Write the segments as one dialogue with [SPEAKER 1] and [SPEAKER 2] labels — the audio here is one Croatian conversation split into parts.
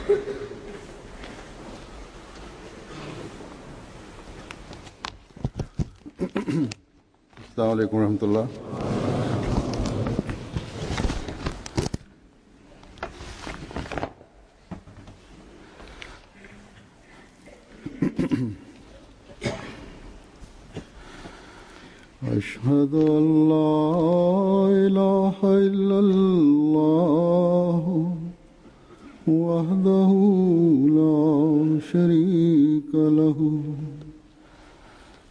[SPEAKER 1] Assalamu alaikum warahmatullah. أشهد أن لا إله إلا الله وحده لا شريك له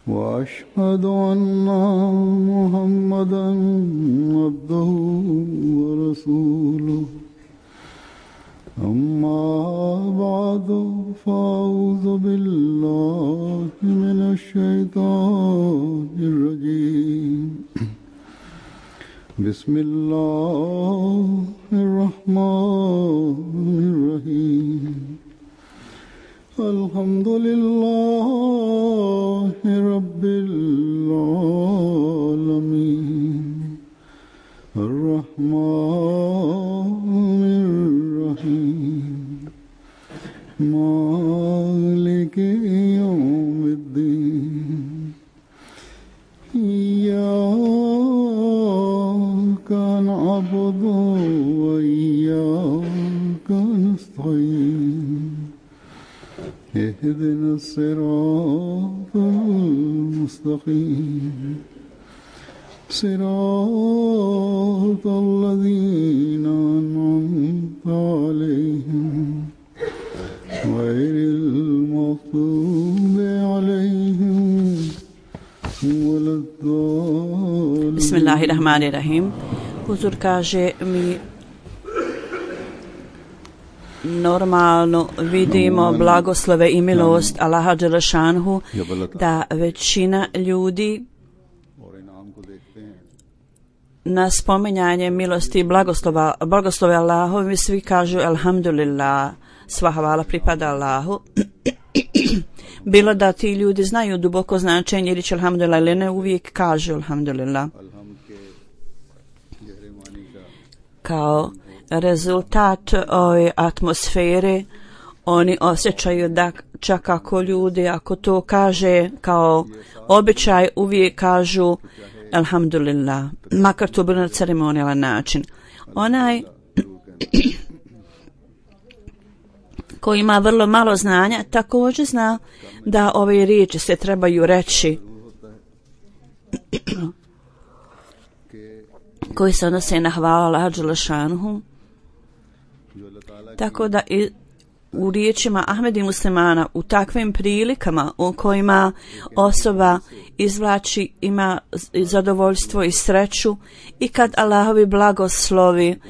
[SPEAKER 1] وأشهد أن محمدا عبده ورسوله أما بعد فأعوذ بالله من الشيطان الرجيم بسم الله الرحمن الرحيم الحمد لله رب العالمين الرحمن الرحيم مالك يوم الدين إياك نعبد وإياك نستعين اهدنا الصراط المستقيم صراط الذين أنعمت عليهم غير المغضوب عليهم ولا الضالين.
[SPEAKER 2] Bismillahirrahmanirrahim. Huzur kaže, mi normalno vidimo blagoslove i milost Allaha dželešanhu, da većina ljudi na spominjanje milosti i blagoslove Allahovi svi kažu alhamdulillah, sva hvala pripada Allahu. Bilo da ti ljudi znaju duboko značenje riječi alhamdulillah ili ne, uvijek kažu alhamdulillah. Kao rezultat ove atmosfere oni osjećaju da čak ako ljudi, ako to kaže kao običaj, uvijek kažu alhamdulillah, makar to bilo na ceremonijalan način. Onaj koji ima vrlo malo znanja također zna da ove riječi se trebaju reći koji se odnose na hvala Allaha dželešanhu. Tako da i u riječima Ahmedi muslimana u takvim prilikama u kojima osoba izvlači, ima zadovoljstvo i sreću, i kad Allahovi blagoslovi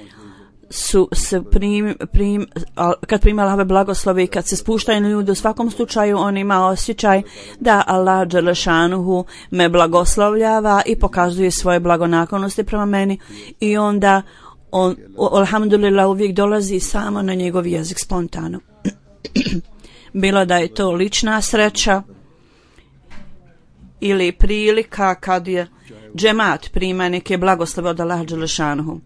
[SPEAKER 2] kad prima Allahove blagoslovi i kad se spuštaju na ljudi, u svakom slučaju on ima osjećaj da Allah dželešanuhu me blagoslovljava i pokazuje svoje blagonaklonosti prema meni, i onda on alhamdulillah uvijek dolazi samo na njegov jezik spontano. Bilo da je to lična sreća ili prilika kad je džemat prima neke blagoslove od Allaha dželešanuhu.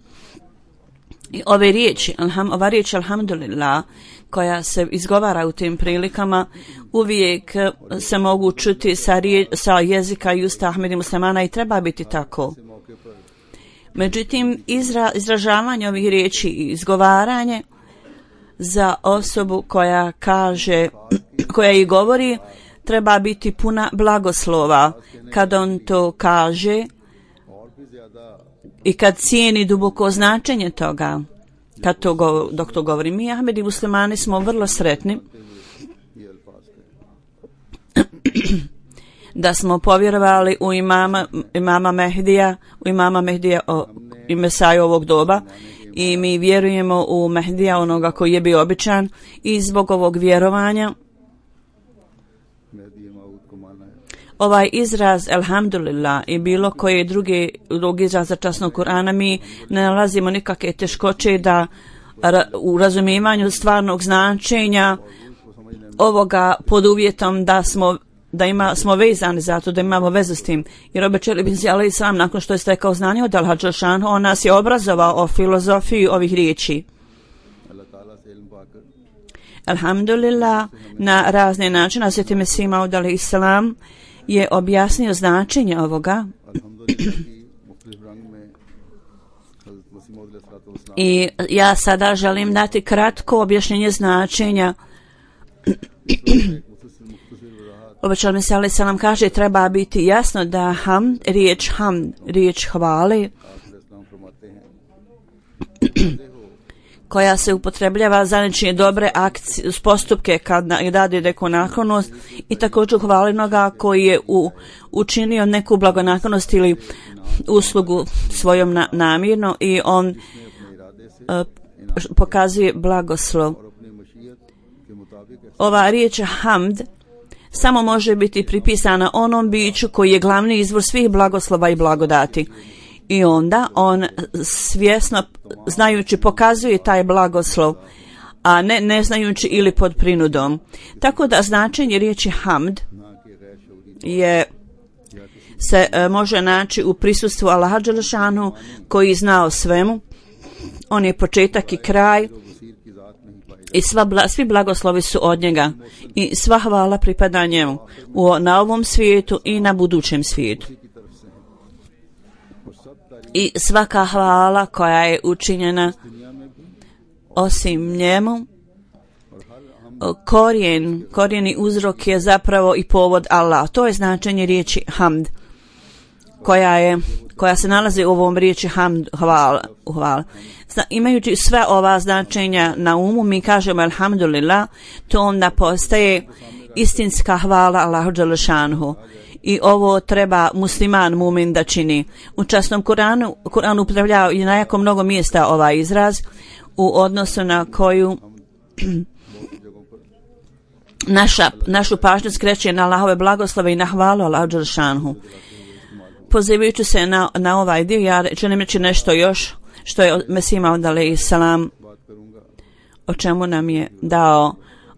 [SPEAKER 2] I ove riječi, ova riječ alhamdulillah koja se izgovara u tim prilikama uvijek se mogu čuti sa jezika i usta Ahmedi muslimana i treba biti tako. Međutim, izražavanje ovih riječi i izgovaranje za osobu koja kaže, koja i govori, treba biti puna blagoslova kad on to kaže i kad cijeni duboko značenje toga. Dok to govori, mi Ahmedi muslimani smo vrlo sretni da smo povjerovali u imama Mehdija, i Mesaju ovog doba, i mi vjerujemo u Mehdija, onoga koji je bio običan, i zbog ovog vjerovanja ovaj izraz alhamdulillah i bilo koje drugi izraz za časnog Kur'ana, mi ne nalazimo nikakve teškoće da u razumijevanju stvarnog značenja ovoga, pod uvjetom da smo vezani za to, da imamo vezu s tim. Jer obećali bin Zijala Islam, nakon što je stekao znanje od Allaha dželešanuhu, on nas je obrazovao o filozofiji ovih riječi. Alhamdulillah, na razne načine Hazrat Mesih Maud alejhi selam je objasnio značenje ovoga i ja sada želim dati kratko objašnjenje značenja. Obećal Mesih alejhi selam kaže treba biti jasno da riječ hvale koja se upotrebljava za nečije dobre akcije, postupke kad radi neku naklonost i također hvalinoga koji je učinio neku blagonaklonost ili uslugu svojom namjerno i on pokazuje blagoslov. Ova riječ hamd samo može biti pripisana onom biću koji je glavni izvor svih blagoslova i blagodati. I onda on svjesno, znajući, pokazuje taj blagoslov, a ne znajući ili pod prinudom. Tako da značenje riječi hamd se može naći u prisustvu Allaha dželešanu koji zna o svemu. On je početak i kraj i svi blagoslovi su od njega i sva hvala pripada njemu na ovom svijetu i na budućem svijetu. I svaka hvala koja je učinjena osim njemu, korijeni uzrok je zapravo i povod Allah. To je značenje riječi hamd koja se nalazi u ovom riječi hamd, hvala. Imajući sve ova značenja na umu, mi kažemo alhamdulillah, to onda postaje istinska hvala Allahu dželešanhu. I ovo treba musliman mumin da čini. U časnom Kur'anu upotrebljava i na jako mnogo mjesta ovaj izraz u odnosu na koju našu pažnju skreće na Allahove blagoslove i na hvalu Allahu dželešanhu. Pozivajući se na ovaj dio, ja želim reći nešto još što je Mesih Maud alejhi selam o čemu nam je dao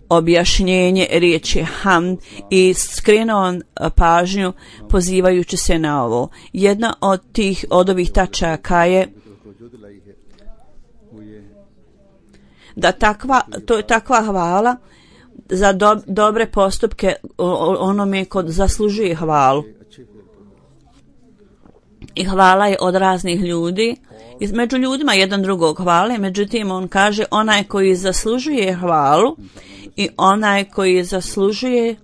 [SPEAKER 2] objašnjenje riječi hamd i skrenuo pažnju pozivajući se na ovo. Jedna od ovih tačaka je da takva hvala za dobre postupke onome ko zaslužuje hvalu. I hvala je od raznih ljudi. Među ljudima jedan drugog hvale, međutim on kaže onaj koji zaslužuje hvalu i onaj koji zaslužuje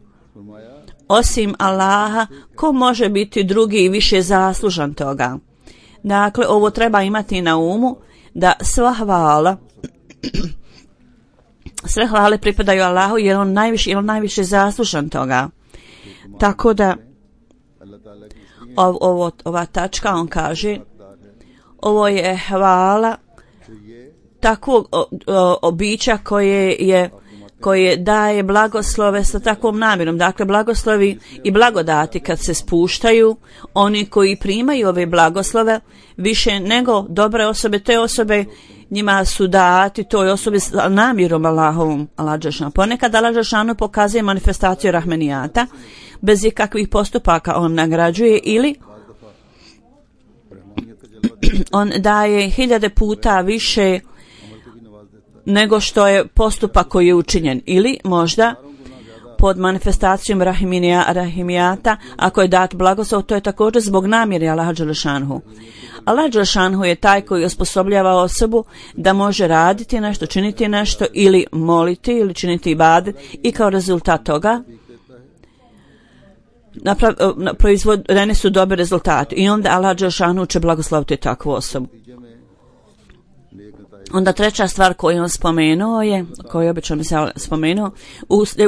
[SPEAKER 2] osim Allaha, ko može biti drugi i više zaslužan toga. Dakle, ovo treba imati na umu da sva sve hvale pripadaju Allahu jer on najviše zaslužan toga. Tako da ova tačka, on kaže, ovo je hvala takvog običa koje daje blagoslove sa takvom namjerom. Dakle, blagoslovi i blagodati kad se spuštaju, oni koji primaju ove blagoslove više nego dobre osobe, te osobe njima su dati toj osobi s namjerom Allahovom. Ponekad Allah dželešanu pokazuje manifestaciju rahmenijata bez ikakvih postupaka, on nagrađuje ili on daje 1000 puta više nego što je postupak koji je učinjen, ili možda pod manifestacijom rahimijata ako je dat blagoslov, to je također zbog namjere Allaha dželešanhu. Allah dželešanhu je taj koji osposobljava osobu da može raditi nešto, činiti nešto ili moliti ili činiti ibadet i kao rezultat toga proizvodeni su dobri rezultati i onda Allah dželešanhu će blagosloviti takvu osobu. Onda treća stvar koju on spomenuo je, koju obično mi se spomenuo,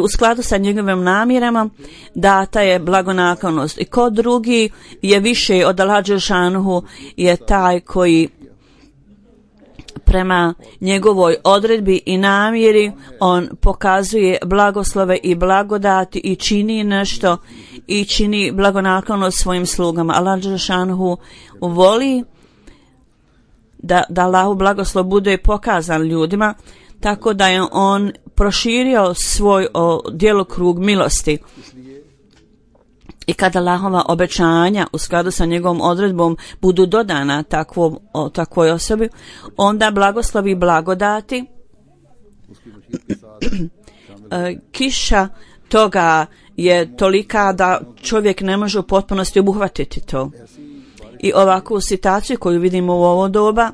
[SPEAKER 2] u skladu sa njegovim namjerama data je blagonaklonost. I ko drugi je više od Allaha dželešanhu je taj koji prema njegovoj odredbi i namjeri on pokazuje blagoslove i blagodati i čini nešto i čini blagonaklonost svojim slugama. Allah dželešanhu voli da Allahu blagoslov bude pokazan ljudima, tako da je on proširio svoj djelokrug milosti. I kada Allahova obećanja u skladu sa njegovom odredbom budu dodana takvoj osobi, onda blagoslovi i blagodati kiša toga je tolika da čovjek ne može u potpunosti obuhvatiti to. I ovakvu situaciju koju vidimo u ovo doba,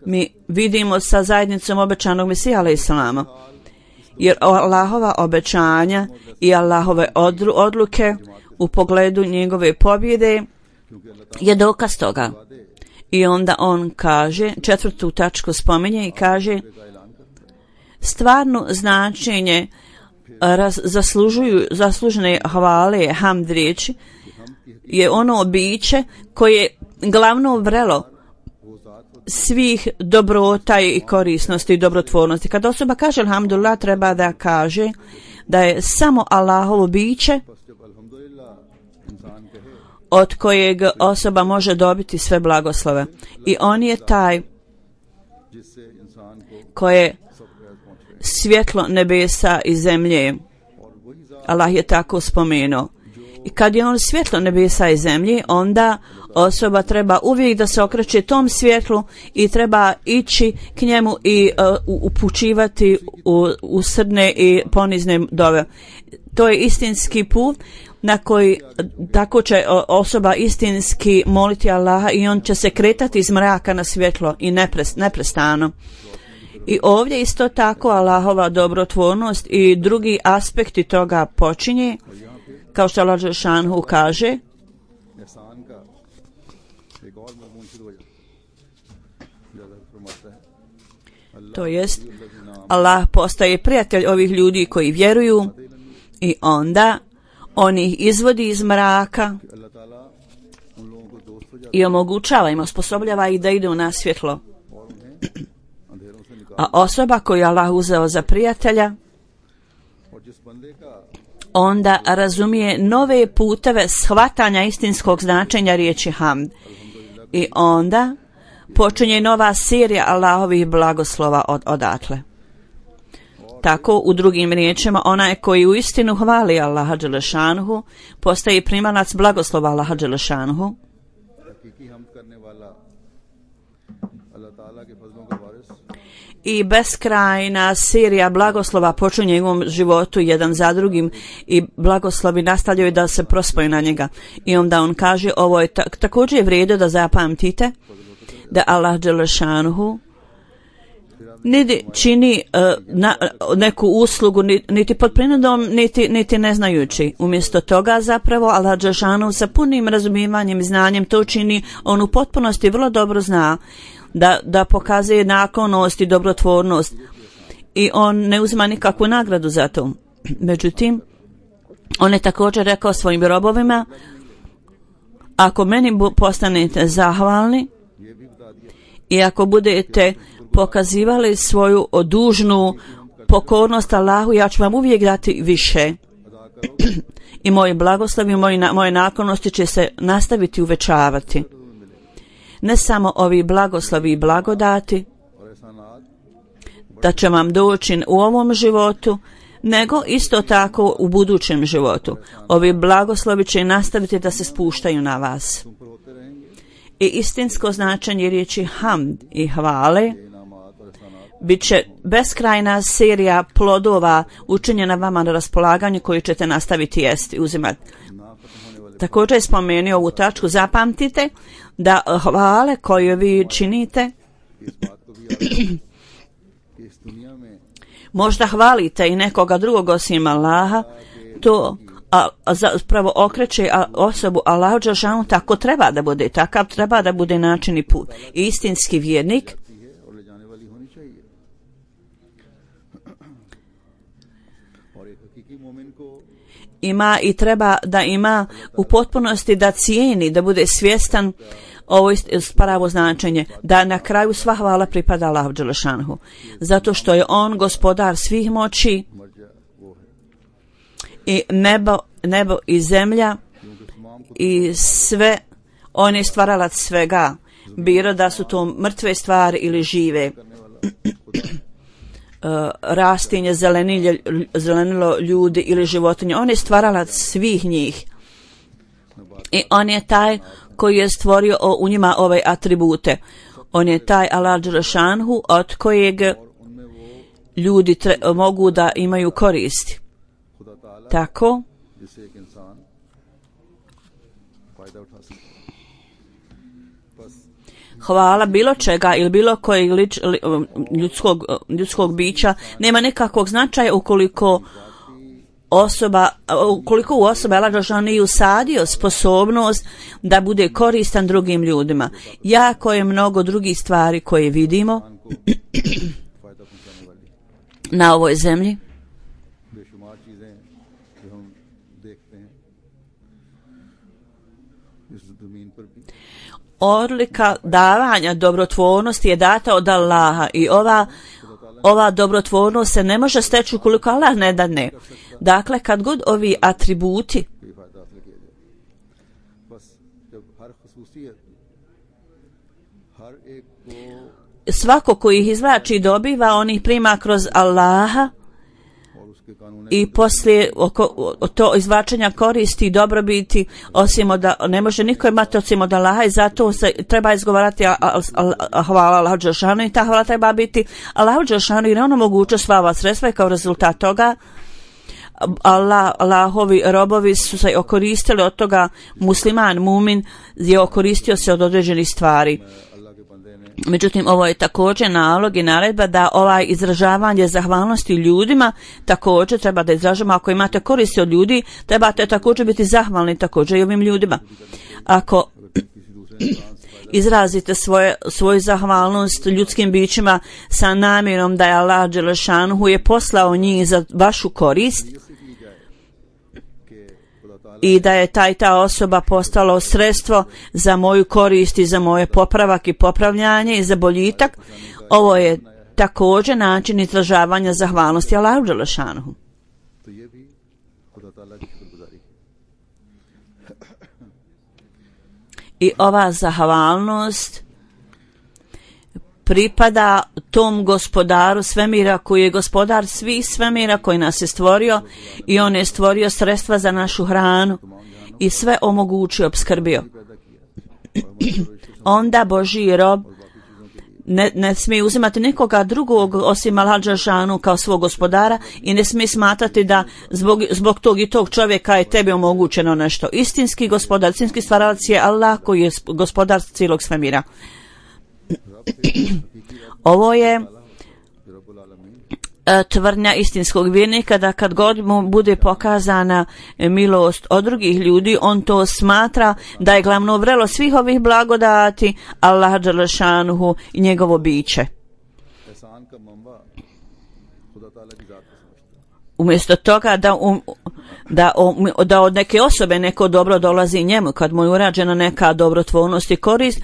[SPEAKER 2] mi vidimo sa zajednicom obećanog Mesija alejselama. Jer Allahova obećanja i Allahove odluke u pogledu njegove pobjede je dokaz toga. I onda on kaže, 4. tačku spominje i kaže, stvarno značenje zaslužene hvale, hamd riječi, je ono biće koje je glavno vrelo svih dobrota i korisnosti i dobrotvornosti. Kad osoba kaže alhamdulillah, treba da kaže da je samo Allahovo biće od kojeg osoba može dobiti sve blagoslove. I on je taj koje svjetlo nebesa i zemlje. Allah je tako spomenuo. I kad je on svjetlo nebesa i zemlje, onda osoba treba uvijek da se okreće tom svjetlu i treba ići k njemu i upućivati u srdne i ponizne dove. To je istinski put na koji tako će osoba istinski moliti Allaha i on će se kretati iz mraka na svjetlo i neprestano. I ovdje isto tako Allahova dobrotvornost i drugi aspekti toga počinje, kao što Allah dželešanu kaže, to jest Allah postaje prijatelj ovih ljudi koji vjeruju i onda on ih izvodi iz mraka i omogućava im, osposobljava ih da idu na svjetlo. A osoba koju Allah uzeo za prijatelja onda razumije nove puteve shvatanja istinskog značenja riječi hamd. I onda počinje nova serija Allahovih blagoslova odatle. Tako, u drugim riječima, onaj koji u istinu hvali Allaha dželešanuhu postaje primalac blagoslova Allaha dželešanuhu. I beskrajna serija blagoslova počinje u njegovom životu jedan za drugim i blagoslovi nastavljaju da se prospoju na njega. I onda on kaže, ovo je također je vrijedo da zapamtite da Allah dželešanuhu niti čini neku uslugu, niti pod prinudom, niti ne znajući. Umjesto toga zapravo Allah dželešanuhu sa punim razumijevanjem i znanjem to čini. On u potpunosti vrlo dobro zna da pokazuje naklonost i dobrotvornost i on ne uzima nikakvu nagradu za to. Međutim, on je također rekao svojim robovima, ako meni postanete zahvalni i ako budete pokazivali svoju dužnu pokornost Allahu, ja ću vam uvijek dati više. I moji blagoslovi, moje naklonosti će se nastaviti uvećavati. Ne samo ovi blagoslovi i blagodati da će vam doći u ovom životu, nego isto tako u budućem životu. Ovi blagoslovi će nastaviti da se spuštaju na vas. I istinsko značenje riječi hamd i hvale bit će beskrajna serija plodova učinjena vama na raspolaganju koju ćete nastaviti jesti, uzimati. Također je spomenuo ovu tačku, zapamtite da hvale koje vi činite, možda hvalite i nekoga drugog osim Allaha, to zapravo okreće osobu Allahu dželešanu. Tako treba da bude, takav treba da bude način i put. I istinski vjernik ima i treba da ima u potpunosti da cijeni, da bude svjestan ovo pravo značenje, da na kraju sva hvala pripada Allahu dželešanu, zato što je on gospodar svih moći i nebo i zemlja i sve, on je stvaralac svega, bilo da su to mrtve stvari ili žive, rastinje, zelenilo, ljudi ili životinje. On je stvaralac svih njih i on je taj koji je stvorio u njima ove atribute. On je taj Allah dželešanhu od kojeg ljudi mogu da imaju koristi. Tako hvala bilo čega ili bilo kojeg ljudskog bića nema nikakvog značaja ukoliko u osoba Allah dželešanu nije usadio sposobnost da bude koristan drugim ljudima. Jako je mnogo drugih stvari koje vidimo na ovoj zemlji. Odlika davanja dobrotvornosti je data od Allaha i ova dobrotvornost se ne može steći ukoliko Allah ne dadne. Dakle, kad god ovi atributi svako koji ih izvlači i dobiva, on ih prima kroz Allaha i poslije to izvlačenja koristi i dobrobiti osim od, ne može niko imati osim od Allaha i zato se treba izgovarati hvala Allahu dželešanu i ta hvala treba biti Allahu dželešanu jer on omogućio sva ova sredstva i kao rezultat toga Allahovi robovi su se okoristili od toga, musliman, mumin je okoristio se od određenih stvari. Međutim, ovo je također nalog i naredba da izražavanje zahvalnosti ljudima također treba da izražamo. Ako imate koristi od ljudi, trebate također biti zahvalni također i ovim ljudima. Ako izrazite svoju zahvalnost ljudskim bićima sa namjerom da je Allah dželešanu je poslao njih za vašu korist i da je ta osoba postala sredstvo za moju korist i za moje popravak i popravljanje i za boljitak, ovo je također način izražavanja zahvalnosti Allahu dželešanu. I ova zahvalnost pripada tom gospodaru svemira koji je gospodar svih svemira koji nas je stvorio i on je stvorio sredstva za našu hranu i sve omogućio, opskrbio. Onda Božji rob ne smije uzimati nikoga drugog osim Allaha dželešanu kao svog gospodara i ne smije smatrati da zbog tog i tog čovjeka je tebi omogućeno nešto. Istinski gospodar, istinski stvaralac je Allah koji je gospodar cijelog svemira. Ovo je tvrdnja istinskog vjernika da kad god mu bude pokazana milost od drugih ljudi, on to smatra da je glavno vrelo svih ovih blagodati Allah dželešanuhu i njegovo biće. Umjesto toga da od neke osobe neko dobro dolazi njemu, kad mu je urađena neka dobrotvornost i korist,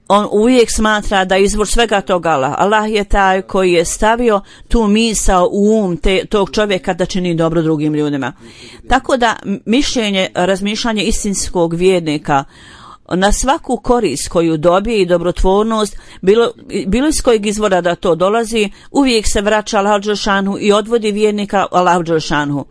[SPEAKER 2] on uvijek smatra da izvor svega toga Allah. Allah je taj koji je stavio tu misao u tog čovjeka da čini dobro drugim ljudima. Tako da razmišljanje istinskog vjernika na svaku korist koju dobije i dobrotvornost, bilo iz kojeg izvora da to dolazi, uvijek se vraća Allahu dželešanu i odvodi vjernika Allahu dželešanu.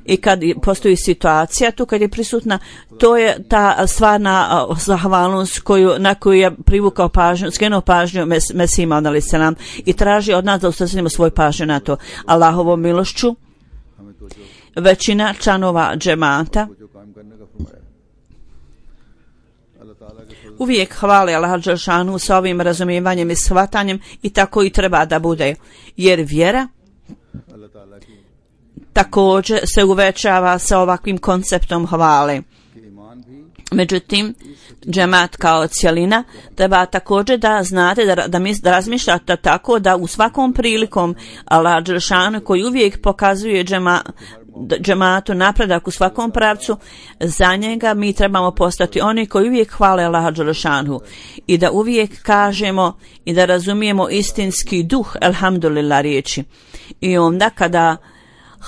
[SPEAKER 2] I kad postoji situacija tu kad je prisutna, to je ta stvarna zahvalnost na koju je privukao pažnju, skrenuo pažnju Mesihima alejselam i traži od nas da usmjerimo svoju pažnju na to. Allahovom milošću većina članova džemata uvijek hvale Allaha dželešanu sa ovim razumijevanjem i shvatanjem i tako i treba da bude, jer vjera također se uvećava sa ovakvim konceptom hvale. Međutim, džemat kao cjelina treba također da znate da razmišljate tako da u svakom prilikom Allah dželešanu koji uvijek pokazuje džematu napredak u svakom pravcu, za njega mi trebamo postati oni koji uvijek hvale Allaha dželešanu i da uvijek kažemo i da razumijemo istinski duh elhamdulillah riječi. I onda kada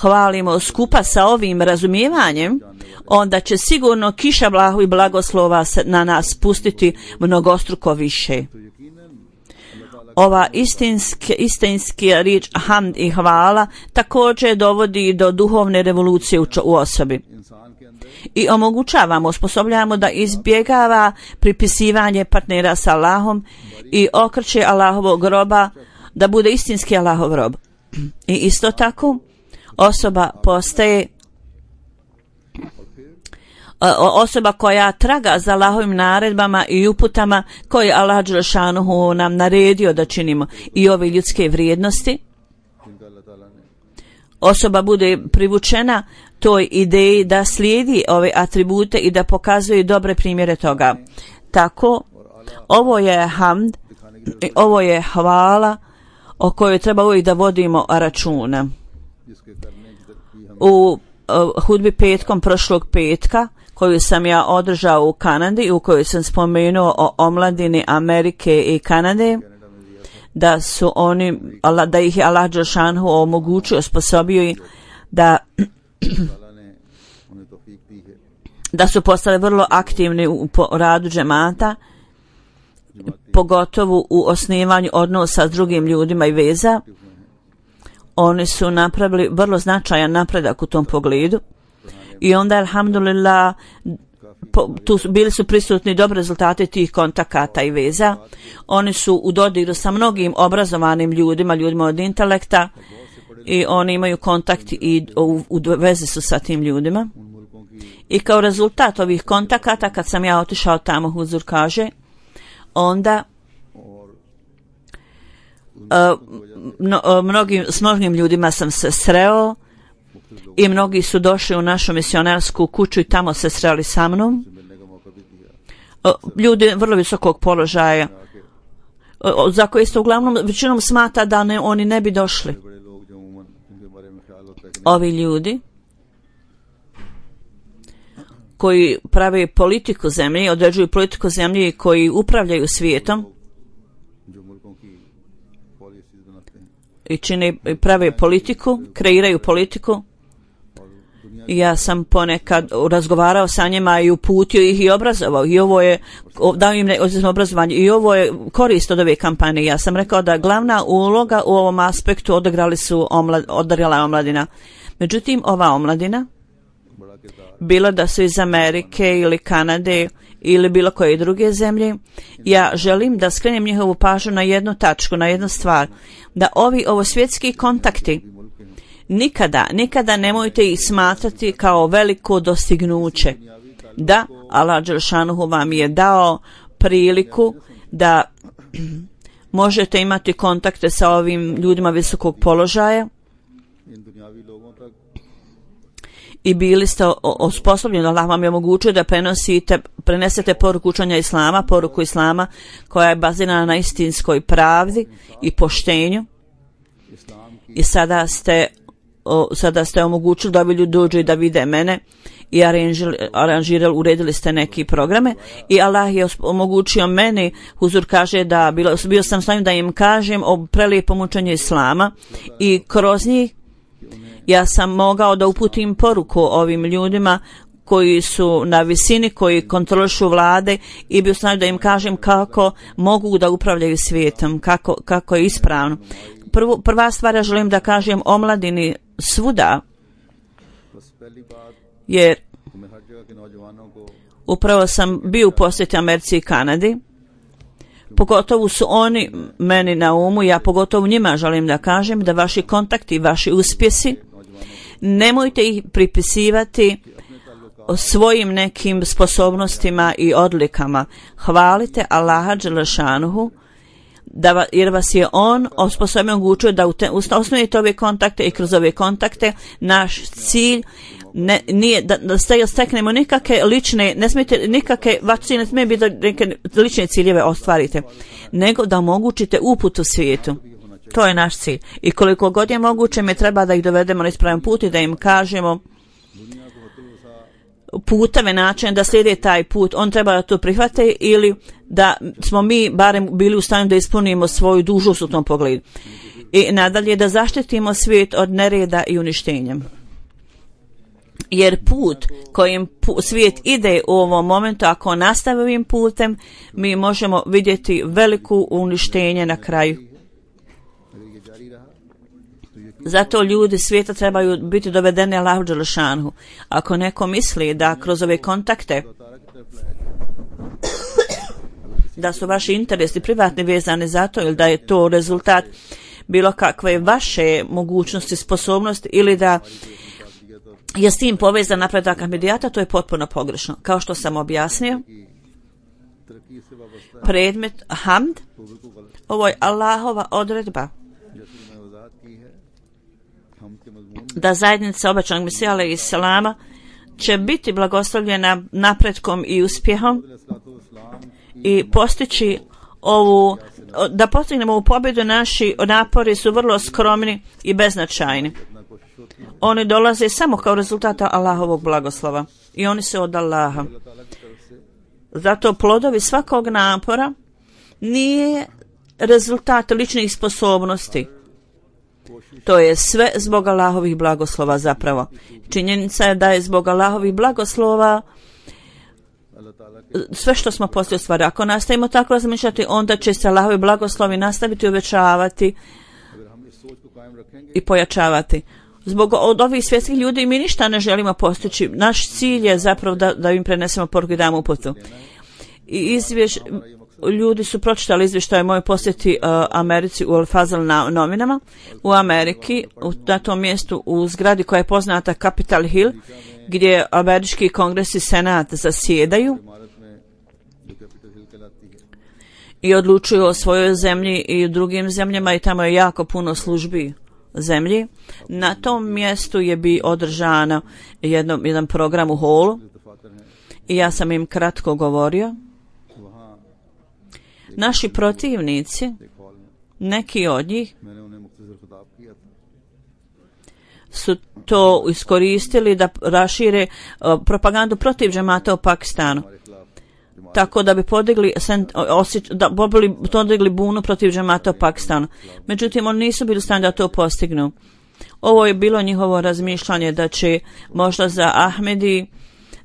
[SPEAKER 2] hvalimo skupa sa ovim razumijevanjem, onda će sigurno kiša blahu i blagoslova na nas spustiti mnogostruko više. Ova istinski riječ hamd i hvala također dovodi do duhovne revolucije u osobi. I omogućavamo, osposobljavamo da izbjegava pripisivanje partnera sa Allahom i okreće Allahovog roba da bude istinski Allahov rob. I isto tako osoba postaje osoba koja traga za Allahovim naredbama i uputama koje Allah dželešanuhu nam naredio da činimo i ove ljudske vrijednosti. Osoba bude privučena toj ideji da slijedi ove atribute i da pokazuje dobre primjere toga. Tako, ovo je hamd, ovo je hvala o kojoj treba uvijek da vodimo računa. U hudbi petkom prošlog petka, koju sam ja održao u Kanadi, u kojoj sam spomenuo o omladini Amerike i Kanade, da su oni, da ih je Allah dželešanu omogućio, osposobio i da su postali vrlo aktivni u radu džemata, pogotovo u osnivanju odnosa s drugim ljudima i veza. Oni su napravili vrlo značajan napredak u tom pogledu i onda, alhamdulillah, bili su prisutni dobri rezultati tih kontakata i veza. Oni su u dodiru sa mnogim obrazovanim ljudima, ljudima od intelekta, i oni imaju kontakt i u vezi su sa tim ljudima. I kao rezultat ovih kontakata, kad sam ja otišao tamo, Huzur kaže, onda s mnogim ljudima sam se sreo i mnogi su došli u našu misionarsku kuću i tamo se sreli sa mnom. Ljudi vrlo visokog položaja, za koje se uglavnom većinom smatra da oni ne bi došli. Ovi ljudi koji prave politiku zemlje, određuju politiku zemlje i koji upravljaju svijetom i prave politiku, kreiraju politiku. Ja sam ponekad razgovarao sa njima i uputio ih i obrazovao, i ovo je, dao im obrazovanje, i ovo je korist od ove kampanje. Ja sam rekao da glavna uloga u ovom aspektu odigrala omladina. Međutim, ova omladina, bilo da su iz Amerike ili Kanade ili bilo koje druge zemlje, ja želim da skrenem njihovu pažnju na jednu tačku, na jednu stvar, da ovo svjetski kontakti nikada nemojte ih smatrati kao veliko dostignuće. Da, Allah dželešanu vam je dao priliku da možete imati kontakte sa ovim ljudima visokog položaja i bili ste osposobljeni, Allah vam je omogućio da prenesete poruku učenja Islama, poruku Islama koja je bazirana na istinskoj pravdi i poštenju, i sada ste omogućili da ovi ljudi dođu i da vide mene i aranžirali, uredili ste neki programe i Allah je omogućio meni, Huzur kaže da bio sam stanju da im kažem o prelijepom učenju Islama i kroz njih ja sam mogao da uputim poruku ovim ljudima koji su na visini, koji kontrolišu vlade, i bio sam da im kažem kako mogu da upravljaju svijetom, kako je ispravno. Prva stvar, ja želim da kažem omladini svuda, jer upravo sam bio u posjeti Americi i Kanadi, pogotovo su oni meni na umu, ja pogotovo njima želim da kažem da vaši kontakti, vaši uspjesi, nemojte ih pripisivati svojim nekim sposobnostima i odlikama. Hvalite Allaha dželešanuhu, jer vas je on osposobio, omogućio da osnovite ove kontakte, i kroz ove kontakte naš cilj nije da steknemo nikakve lične, ne smijete nikakve, vaš cilj ne smije biti da neke lične ciljeve ostvarite, nego da omogućite uput u svijetu. To je naš cilj. I koliko god je moguće, mi treba da ih dovedemo na ispravan put i da im kažemo puteve, način da slijede taj put. On treba da to prihvate ili da smo mi barem bili u stanju da ispunimo svoju dužnost u tom pogledu. I nadalje da zaštitimo svijet od nereda i uništenja. Jer put kojim svijet ide u ovom momentu, ako nastavi ovim putem, mi možemo vidjeti veliku uništenje na kraju. Zato ljudi svijeta trebaju biti dovedeni Allahu dželešanhu. Ako neko misli da kroz ove kontakte da su vaši interesi privatni vezani za to ili da je to rezultat bilo kakve vaše mogućnosti, sposobnosti ili da je s tim povezan napredak Ahmedijata, to je potpuno pogrešno. Kao što sam objasnio, predmet hamd, ovo je Allahova odredba da zajednica obećanog Mesija alejhi selama će biti blagoslovljena napretkom i uspjehom i postići ovu, da postignemo ovu pobjedu. Naši napori su vrlo skromni i beznačajni. Oni dolaze samo kao rezultata Allahovog blagoslova i oni se od Allaha. Zato plodovi svakog napora nije rezultat ličnih sposobnosti. To je sve zbog Allahovih blagoslova zapravo. Činjenica je da je zbog Allahovih blagoslova sve što smo poslije ostvarili. Ako nastavimo tako razmišljati, onda će se Allahovi blagoslovi nastaviti uvećavati i pojačavati. Zbog od ovih svjetskih ljudi mi ništa ne želimo postići. Naš cilj je zapravo da im prenesemo poruku i damo uputu. I ljudi su pročitali izvještaj moje posjeti Americi u Al-Fazl na novinama. U Ameriki, na tom mjestu u zgradi koja je poznata Capitol Hill, gdje američki kongres i senat zasjedaju i odlučuju o svojoj zemlji i u drugim zemljama i tamo je jako puno službi zemlji. Na tom mjestu je bi održano jedan program u holu i ja sam im kratko govorio. Naši protivnici, neki od njih, su to iskoristili da rašire propagandu protiv džemata u Pakistanu. Tako da bi podigli bunu protiv džemata u Pakistanu. Međutim, oni nisu bili u stanju da to postignu. Ovo je bilo njihovo razmišljanje da će možda za Ahmedi,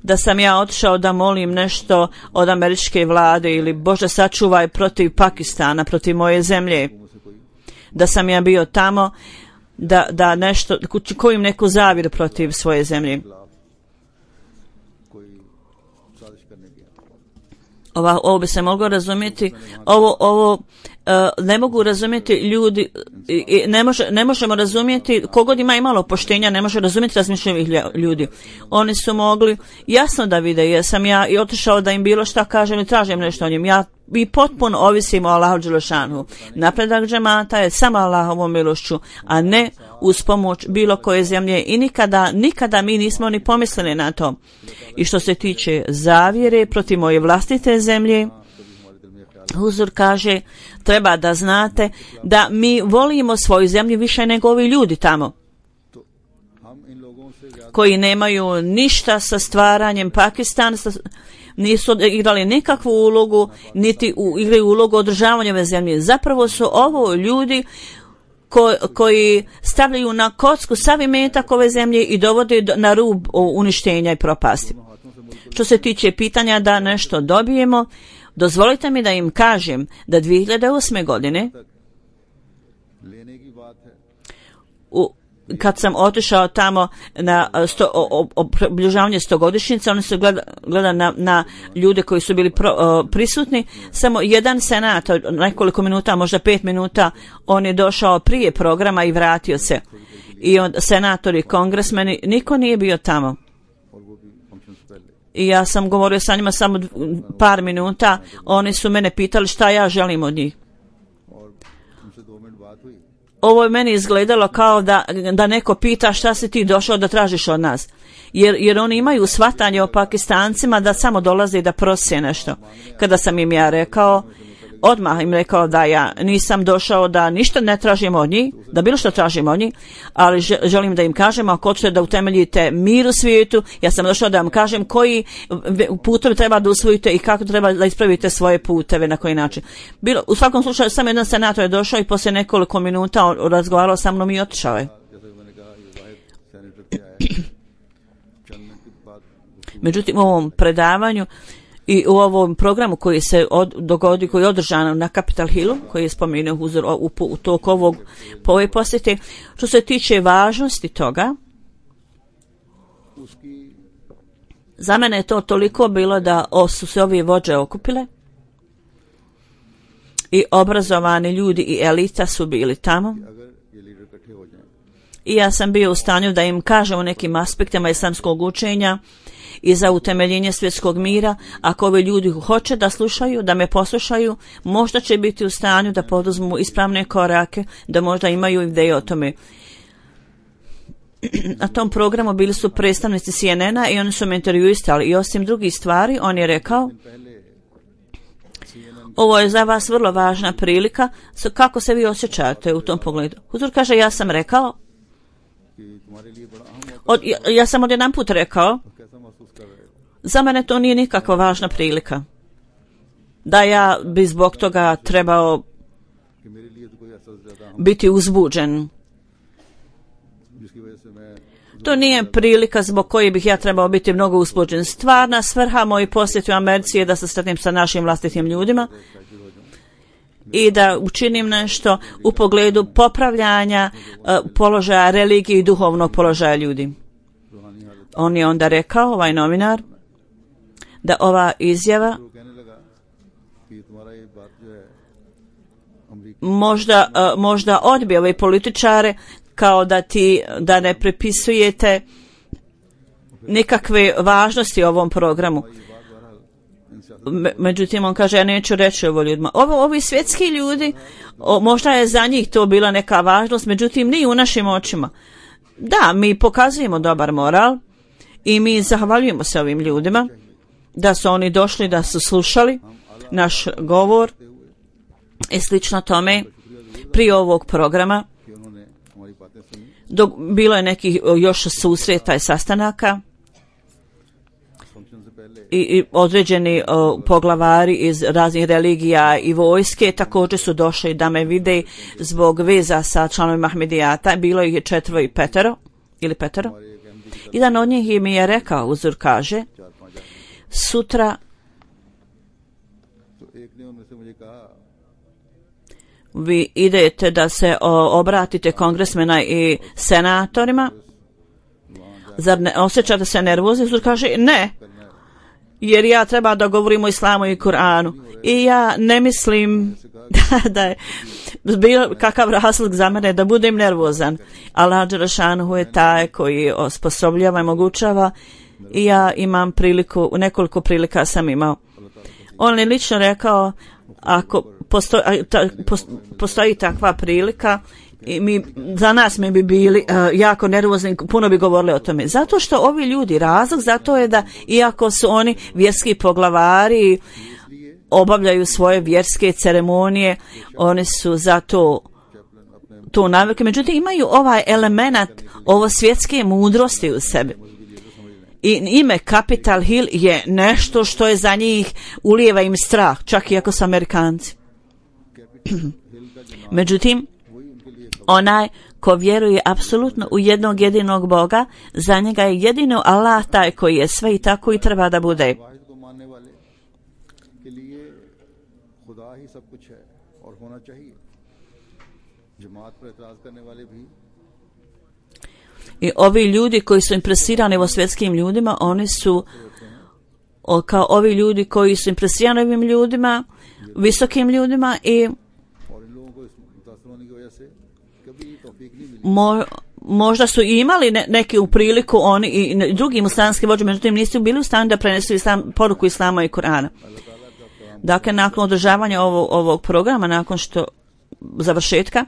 [SPEAKER 2] da sam ja otišao da molim nešto od američke vlade ili Bože sačuvaj protiv Pakistana, protiv moje zemlje. Da sam ja bio tamo da nešto, kojim neku zavjeru protiv svoje zemlje. Ovo bi se moglo razumjeti, ovo ne mogu razumjeti ljudi, ne možemo razumjeti, kogod ima imalo poštenja, ne može razumjeti razmišljavih ljudi. Oni su mogli jasno da vide, jesam ja i otišao da im bilo šta kažem i tražim nešto o njim. Ja i potpuno ovisim o Allahu dželešanu. Napredak džemata je samo Allahovom milošću, a ne uz pomoć bilo koje zemlje i nikada mi nismo ni pomislili na to. I što se tiče zavjere protiv moje vlastite zemlje, Huzur kaže, treba da znate da mi volimo svoju zemlju više nego ovi ljudi tamo, koji nemaju ništa sa stvaranjem Pakistana, nisu igrali nikakvu ulogu, niti igraju ulogu održavanja ove zemlje. Zapravo su ovo ljudi koji stavljaju na kocku sav imetak ove zemlje i dovode na rub uništenja i propasti. Što se tiče pitanja da nešto dobijemo, dozvolite mi da im kažem da 2008. godine kad sam otišao tamo na obilježavanje 100-godišnjice, oni su gledali na ljude koji su bili prisutni. Samo jedan senator, nekoliko minuta, možda 5 minuta, on je došao prije programa i vratio se. I senatori, kongresmeni, niko nije bio tamo. I ja sam govorio sa njima samo par minuta, oni su mene pitali šta ja želim od njih. Ovo je meni izgledalo kao da neko pita šta si ti došao da tražiš od nas. Jer oni imaju shvatanje o Pakistancima da samo dolaze da prose nešto. Kada sam im ja rekao, odmah im rekao da ja nisam došao da ništa ne tražim od njih, da bilo što tražim od njih, ali želim da im kažem, ako hoćete da utemeljite mir u svijetu, ja sam došao da vam kažem koji putovi treba da usvojite i kako treba da ispravite svoje puteve, na koji način. U svakom slučaju, samo jedan senator je došao i poslije nekoliko minuta razgovarao sa mnom i otišao je. Međutim, u ovom predavanju i u ovom programu koji se dogodi, koji je održan na Capitol Hillu, koji je spomenuo Huzur u toku po ovoj posjeti, što se tiče važnosti toga, za mene je to toliko bilo da su se ovi vođe okupile i obrazovani ljudi i elita su bili tamo.
[SPEAKER 1] अगर ये लीडर इकट्ठे हो जाएं
[SPEAKER 2] I ja sam bio u stanju da im kažem o nekim aspektima islamskog učenja i za utemeljenje svjetskog mira. Ako ovi ljudi hoće da slušaju, da me poslušaju, možda će biti u stanju da poduzmu ispravne korake, da možda imaju ideje o tome. Na tom programu bili su predstavnici CNN-a i oni su me intervjuistali i osim drugih stvari, on je rekao: ovo je za vas vrlo važna prilika, kako se vi osjećate u tom pogledu? Huzur kaže, ja sam rekao,
[SPEAKER 1] कि तुम्हारे लिए बड़ा अहम मौका
[SPEAKER 2] ja sam odjedan put rekao,
[SPEAKER 1] कैसा महसूस कर रहे हो
[SPEAKER 2] za mene to nije nikakva važna prilika, da ja bi zbog toga trebao
[SPEAKER 1] कि मेरे लिए तो कोई ऐसा ज्यादा अहम
[SPEAKER 2] biti uzbuđen.
[SPEAKER 1] जिसकी वजह से मैं
[SPEAKER 2] To nije prilika zbog koje bih ja trebao biti mnogo uzbuđen. Stvarna svrha moj posjeti u Americi je da se sretnem sa našim vlastitim ljudima i da učinim nešto u pogledu popravljanja položaja religije i duhovnog položaja ljudi.
[SPEAKER 1] रूहानी हालत
[SPEAKER 2] On je onda rekao, ovaj novinar, da ova izjava
[SPEAKER 1] वो कहने लगा कि तुम्हारा ये बात जो है अमरीका
[SPEAKER 2] možda odbije ove političare kao da ne prepisujete nikakve važnosti ovom programu.
[SPEAKER 1] ये बात बहरहाल इन
[SPEAKER 2] Međutim, on kaže, ja neću reći ovo ljudima. Ovi svjetski ljudi, možda je za njih to bila neka važnost, međutim, nije u našim očima. Da, mi pokazujemo dobar moral i mi zahvaljujemo se ovim ljudima da su oni došli, da su slušali naš govor i slično tome prije ovog programa.
[SPEAKER 1] कि उन्होंने हमारी बातें सुनी
[SPEAKER 2] Dok bilo je nekih još susreta i sastanaka
[SPEAKER 1] function से पहले
[SPEAKER 2] i određeni poglavari iz raznih religija i vojske također su došli da me vide zbog veza sa članovima Ahmedijata. Bilo ih je 4 i 5 ili 5.
[SPEAKER 1] हमारे एक Ahmadi
[SPEAKER 2] Jedan od njih mi je rekao, Huzur kaže,
[SPEAKER 1] 4-5 आदमी
[SPEAKER 2] sutra
[SPEAKER 1] तो एक ने उनमें से मुझे कहा
[SPEAKER 2] vi idete da se obratite kongresmena i senatorima. Zar ne osjećate se nervozni? Huzur kaže, ne, jer ja treba da govorim o islamu i Kur'anu. I ja ne mislim da je bilo kakav razlog za mene da budem nervozan. Allah dželešanuhu je taj koji osposobljava i mogućava i ja imam priliku, nekoliko prilika sam imao. On je lično rekao, ako postoji takva prilika, i za nas mi bi bili jako nervozni, puno bi govorili o tome. Zato što ovi ljudi, razlog zato je da iako su oni vjerski poglavari, obavljaju svoje vjerske ceremonije, oni su za to navikli. Međutim, imaju ovaj element, ovo svjetske mudrosti u sebi. I ime Capitol Hill je nešto što je za njih, ulijeva im strah, čak i ako su Amerikanci. Međutim, onaj ko vjeruje apsolutno u jednog jedinog Boga, za njega je jedino Allah taj koji je sve i tako i treba da bude.
[SPEAKER 1] वाहिद को मानने वाले के लिए खुदा ही सब कुछ है और होना चाहिए जमात पर एतराज करने वाले भी
[SPEAKER 2] I ovi ljudi koji su impresirani o svjetskim ljudima, oni su kao ovi ljudi koji su impresirani ovim ljudima, visokim ljudima i
[SPEAKER 1] और इन लोगों को इस मुतासर होने की वजह से कभी तौफीक नहीं मिली
[SPEAKER 2] možda su imali neki u priliku oni i drugi muslimanski vođe, međutim nisu bili u stanju da prenesu poruku islama i Kur'ana. Dakle, nakon održavanja ovog programa, nakon što završetka,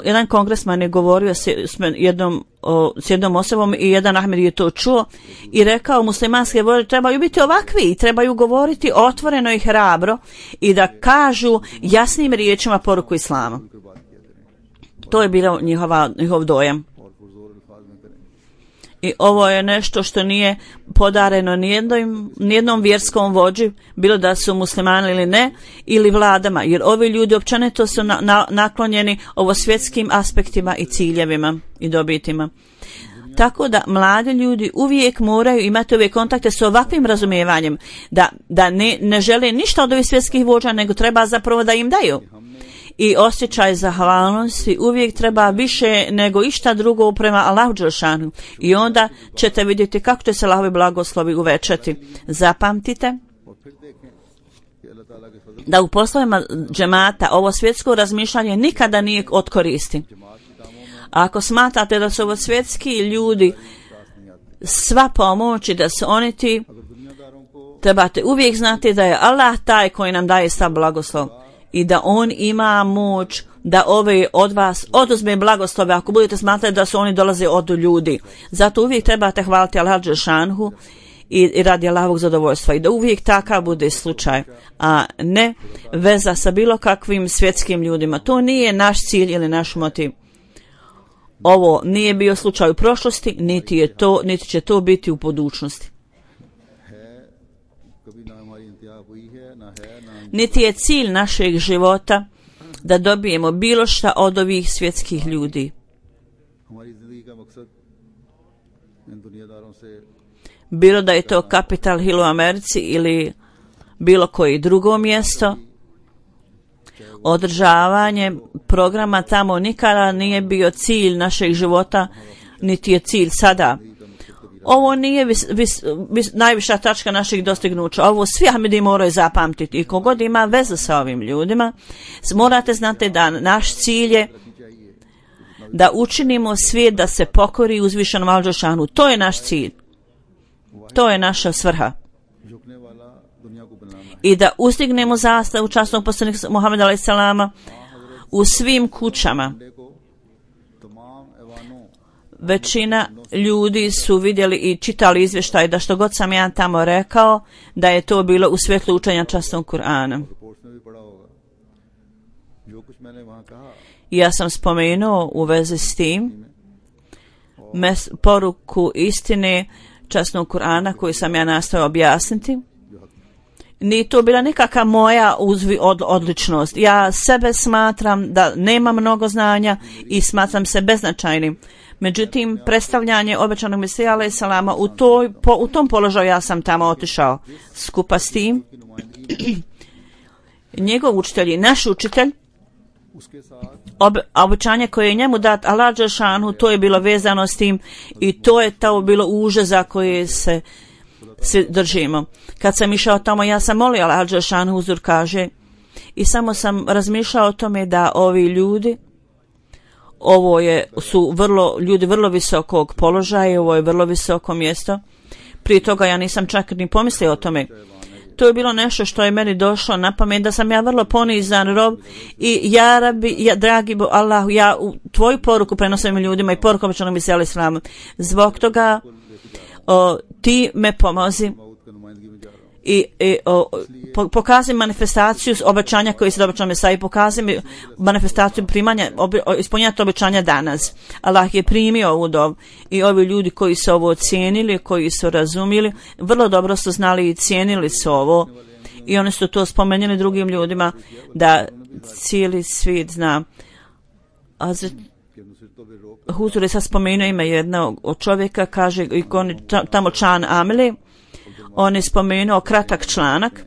[SPEAKER 2] jedan kongresman je govorio s jednom osobom i jedan Ahmed je to čuo i rekao, muslimanske vođe trebaju biti ovakvi i trebaju govoriti otvoreno i hrabro i da kažu jasnim riječima poruku islama. To je bilo njihov dojam.
[SPEAKER 1] और पुरजोर अल्फाज में करें
[SPEAKER 2] I ovo je nešto što nije podareno nijednom vjerskom vođi, bilo da su muslimani ili ne, ili vladama, jer ovi ljudi općenito su naklonjeni ovo svjetskim aspektima i ciljevima i dobitima. Tako da mladi ljudi uvijek moraju imati ove kontakte s ovakvim razumijevanjem, da ne žele ništa od ovih svjetskih vođa, nego treba zapravo da im daju. I osjećaj zahvalnosti uvijek treba više nego išta drugo prema Allahu dželešanu. I onda ćete vidjeti kako će se Allahovi blagoslovi uvećati. Zapamtite
[SPEAKER 1] और फिर देखें कि
[SPEAKER 2] da u poslovima džemata ovo svjetsko razmišljanje nikada nije od koristi. A ako smatrate da su ovo svjetski ljudi sva pomoć i da su oni ti, trebate uvijek znati da je Allah taj koji nam daje sav blagoslov i da on ima moć da ove od vas oduzme blagoslove ako budete smatrati da su oni dolaze od ljudi. Zato uvijek trebate hvaliti Allah dželešanu i radi Allahovog zadovoljstva i da uvijek takav bude slučaj, a ne veza sa bilo kakvim svjetskim ljudima. To nije naš cilj ili naš motiv. Ovo nije bio slučaj u prošlosti, niti će to biti u budućnosti. Niti je cilj našeg života da dobijemo bilo šta od ovih svjetskih ljudi. Bilo da je to Capitol Hill u Americi ili bilo koje drugo mjesto, održavanje programa tamo nikada nije bio cilj našeg života, niti je cilj sada. Ovo nije najviša tačka naših dostignuća. Ovo svi Ahmedi moraju zapamtiti i kogod ima veze sa ovim ljudima, morate znati da naš cilj je da učinimo svijet da se pokori uzvišenom Allahu dželešanu. To je naš cilj. To je naša svrha. I da ustignemo zastavu časnog poslanika Muhameda alejhi selama u svim kućama. Većina ljudi su vidjeli i čitali izvještaj da što god sam ja tamo rekao, da je to bilo u svjetlu učenja časnog Kur'ana. Ja sam spomenuo u vezi s tim poruku istine časnog Kur'ana koju sam ja nastojao objasniti. Nije to bila nikakva moja odličnost. Ja sebe smatram da nemam mnogo znanja i smatram se beznačajnim. Međutim, predstavljanje obećanog Mesija alejhi selama u tom položaju ja sam tamo otišao. Skupa s tim, njegov učitelj i naš učitelj, obećanje koje je njemu dat Allah dželešanu, to je bilo vezano s tim i to je to bilo uže za koje se svi držimo. Kad sam išao tamo, ja sam molio Allah dželešanu, huzur kaže, i samo sam razmišljao o tome da ovi ljudi, su ljudi vrlo visokog položaja, ovo je vrlo visoko mjesto. Prije toga ja nisam čak ni pomislio o tome. To je bilo nešto što je meni došlo na pamet, da sam ja vrlo ponizan rob i ja Rabi, dragi Allahu, ja tvoju poruku prenosim ljudima i poruku obećanog Mesija alejhi selam. Zbog toga ti me pomozi i pokazi manifestaciju obećanja koje se obećao Mesija i pokazi mi manifestaciju primanja, ispunjati obećanja danas. Allah je primio ovu dobu i ovi ljudi koji su ovo cijenili, koji su razumili, vrlo dobro su znali i cijenili su ovo i oni su to spomenuli drugim ljudima da cijeli svijet zna. Huzur je sad spomenuo ime jednog od čovjeka, kaže i tamo Čan Ameli. On je spomenuo kratak članak.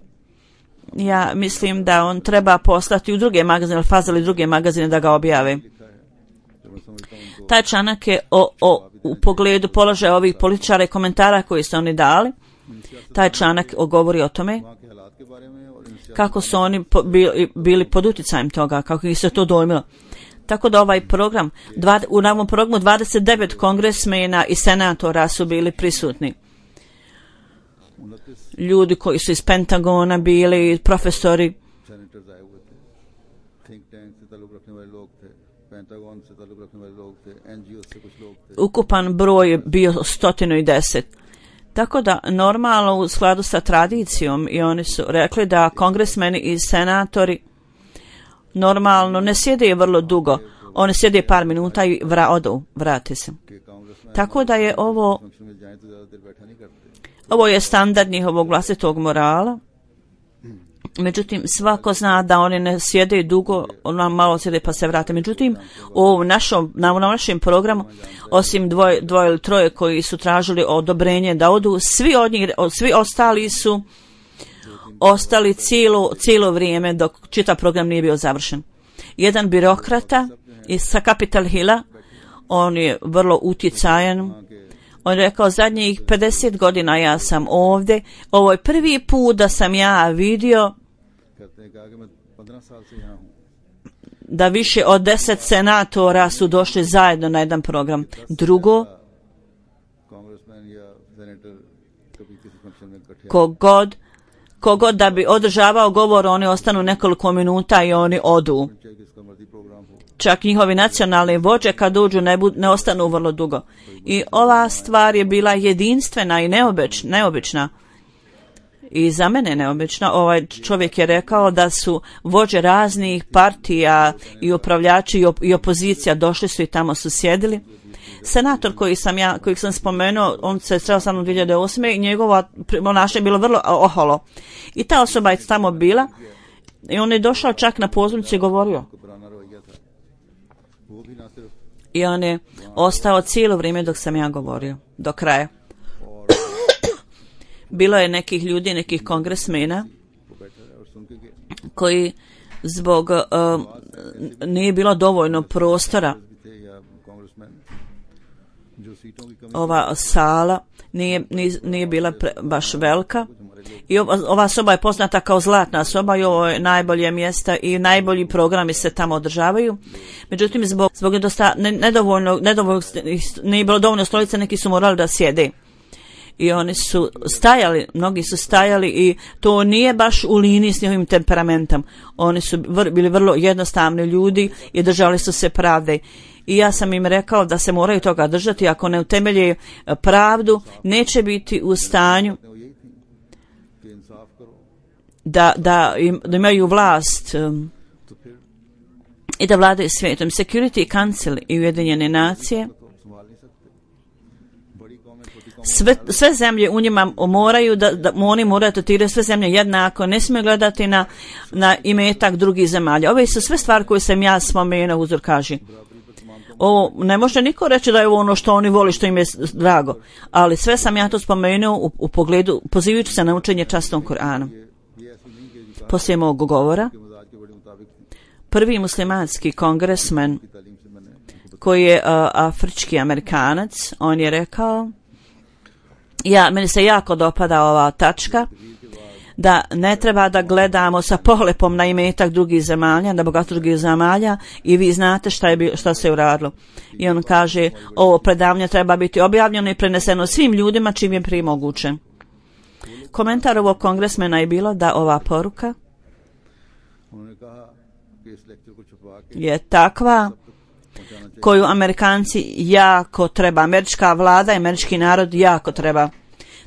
[SPEAKER 2] Ja mislim da on treba poslati u druge magazine, Fazal i druge magazine da ga objave. Taj članak je u pogledu položaja ovih političara i komentara koji su oni dali. Taj članak govori o tome kako su oni bili pod utjecajem toga, kako ih se to dojmilo. Tako da ovaj program, u ovom programu 29 kongresmena i senatora su bili prisutni. Ljudi koji su iz Pentagona bili, profesori. Ukupan broj je bio 110. Tako da normalno u skladu sa tradicijom i oni su rekli da kongresmeni i senatori normalno ne sjede vrlo dugo. Oni sjede par minuta i vrate se. Tako da je ovo je standard njihovog vlastitog morala. Međutim, svako zna da oni ne sjede dugo, ona malo sjede pa se vrate. Međutim, na našem programu, osim dvoje ili troje koji su tražili odobrenje da odu, svi ostali su ostali cijelo vrijeme dok čitav program nije bio završen. Jedan birokrata sa Capitol Hilla, on je vrlo utjecajan. On je rekao, zadnjih 50 godina ja sam ovdje. Ovo je prvi put da sam ja vidio
[SPEAKER 1] करते हैं कहा कि मैं 15 साल से यहाँ हूँ
[SPEAKER 2] da više od 10 senatora su došli zajedno na jedan program. Drugo,
[SPEAKER 1] congressman या सेनेटर कभी किसी फंक्शन में इकट्ठे
[SPEAKER 2] kogod da bi održavao govor, oni ostanu nekoliko minuta i oni odu.
[SPEAKER 1] चाहे किसका मर्जी प्रोग्राम हो
[SPEAKER 2] Čak njihovi nacionalni vođe kad uđu ne ostanu vrlo dugo. I ova stvar je bila jedinstvena i neobična. I za mene neobično. Ovaj čovjek je rekao da su vođe raznih partija i upravljači i opozicija došli su i tamo su sjedili. Senator kojeg sam spomenuo, on se sreo sa mnom 2008. i njegovo ponašanje je bilo vrlo oholo. I ta osoba je tamo bila i on je došao čak na pozornicu i govorio. I on je ostao cijelo vrijeme dok sam ja govorio, do kraja. Bilo je nekih ljudi, nekih kongresmena koji zbog nije bilo dovoljno prostora, ova sala nije bila baš velika i ova soba je poznata kao zlatna soba i ovo je najbolje mjesta i najbolji programi se tamo održavaju. Međutim, zbog nedovoljno nije bilo dovoljno stolica, neki su morali da sjede. I oni su stajali, mnogi su stajali i to nije baš u liniji s njihovim temperamentom. Oni su bili vrlo jednostavni ljudi i držali su se pravde. I ja sam im rekao da se moraju toga držati, ako ne utemelje pravdu, neće biti u stanju da imaju vlast i da vladaju svijetom. Security Council i Ujedinjene nacije, sve zemlje u njima moraju oni moraju tretirati sve zemlje jednako, ne smiju gledati na imetak drugih zemalja. Ove su sve stvari koje sam ja spomenuo, uzor kaže. Ovo ne može niko reći da je ovo ono što oni voli, što im je drago, ali sve sam ja to spomenuo u pogledu pozivajući se na učenje častom Kur'anom. Poslije mog govora, prvi muslimanski kongresmen koji je afrički Amerikanac, on je rekao, meni se jako dopada ova tačka, da ne treba da gledamo sa pohlepom na imetak drugih zemalja, na bogatstvo drugih zemalja i vi znate šta se uradilo. I on kaže, ovo predavanje treba biti objavljeno i preneseno svim ljudima čim je prije moguće. Komentar ovog kongresmena je bilo da ova poruka je takva koju Amerikanci jako treba, američka vlada i američki narod jako treba.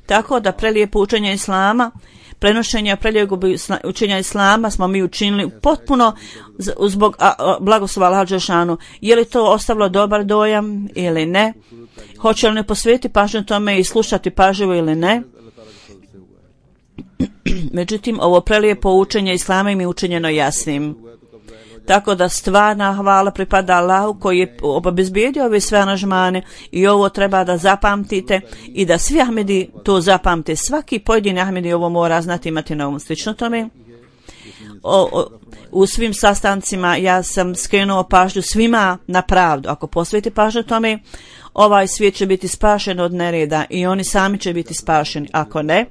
[SPEAKER 2] Tako da prelijepo učenje islama, prenošenje prelijepog učenja islama smo mi učinili potpuno zbog blagoslova Allaha dželešanu. Je li to ostavilo dobar dojam ili ne? Hoće li ne posvetiti pažnju tome i slušati pažljivo ili ne? Međutim, ovo prelijepo učenje islama im je učinjeno jasnim. Tako da stvarna hvala pripada Allahu koji je obezbijedio ove sve aranžmane i ovo treba da zapamtite i da svi Ahmedi to zapamte. Svaki pojedini Ahmedi ovo mora znati, imati na umu. Slično tome, u svim sastancima ja sam skrenuo pažnju svima na pravdu. Ako posveti pažnju tome, ovaj svijet će biti spašen od nereda i oni sami će biti spašeni. Ako ne,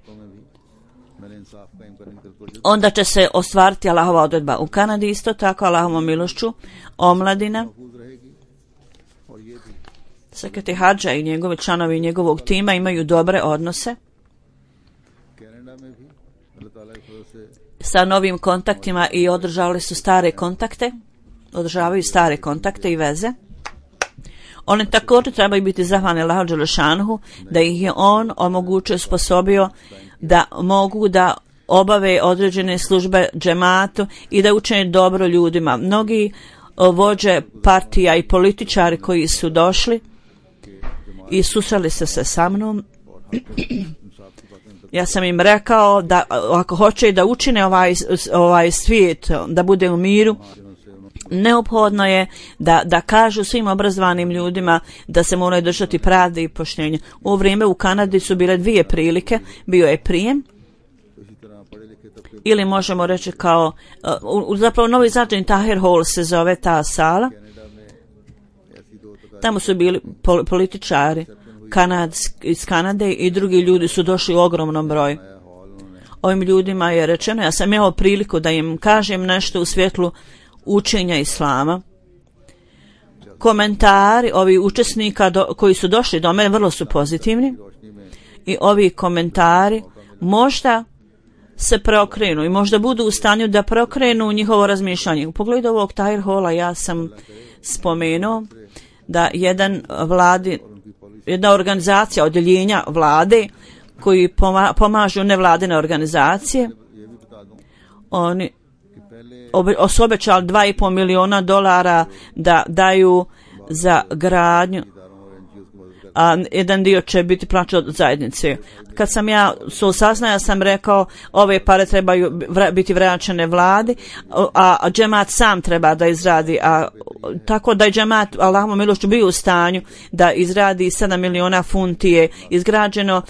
[SPEAKER 2] onda će se ostvariti Allahova odredba. U Kanadi isto tako Allahovom milošću omladina, sekretari hadža i njegovi članovi njegovog tima imaju dobre odnose sa novim kontaktima i održavaju stare kontakte i veze. Oni također trebaju biti zahvalni Allahu dželešanuhu da ih je on omogućio, sposobio da mogu da obave određene službe džematu i da učine dobro ljudima. Mnogi vođe partija i političari koji su došli i susreli se sa mnom, ja sam im rekao da ako hoće da učine ovaj svijet da bude u miru, neophodno je da kažu svim obrazovanim ljudima da se moraju držati pravde i poštenja. U vrijeme u Kanadi su bile dvije prilike, bio je prijem, ili možemo reći kao, zapravo Novi Zađen Tahir Hall se zove ta sala. Tamo su bili političari iz Kanade i drugi ljudi su došli u ogromnom broju. Ovim ljudima je rečeno, ja sam imao priliku da im kažem nešto u svjetlu učenja islama. Komentari ovih učesnika koji su došli do mene vrlo su pozitivni i ovi komentari možda se preokrenu i možda budu u stanju da preokrenu njihovo razmišljanje. U pogledu ovog Tahir Halla ja sam spomenuo da jedna organizacija odjeljenja vlade koji pomažu nevladine organizacije, oni su obećali $2,5 milijuna da daju za gradnju, a jedan dio će biti plaćen od zajednice. Kad sam ja saznao, ja sam rekao ove pare trebaju biti vraćene vladi, a džemat sam treba da izradi, tako da je džemat Allahovom milošću bio u stanju da izradi 7 miliona funti je izgrađeno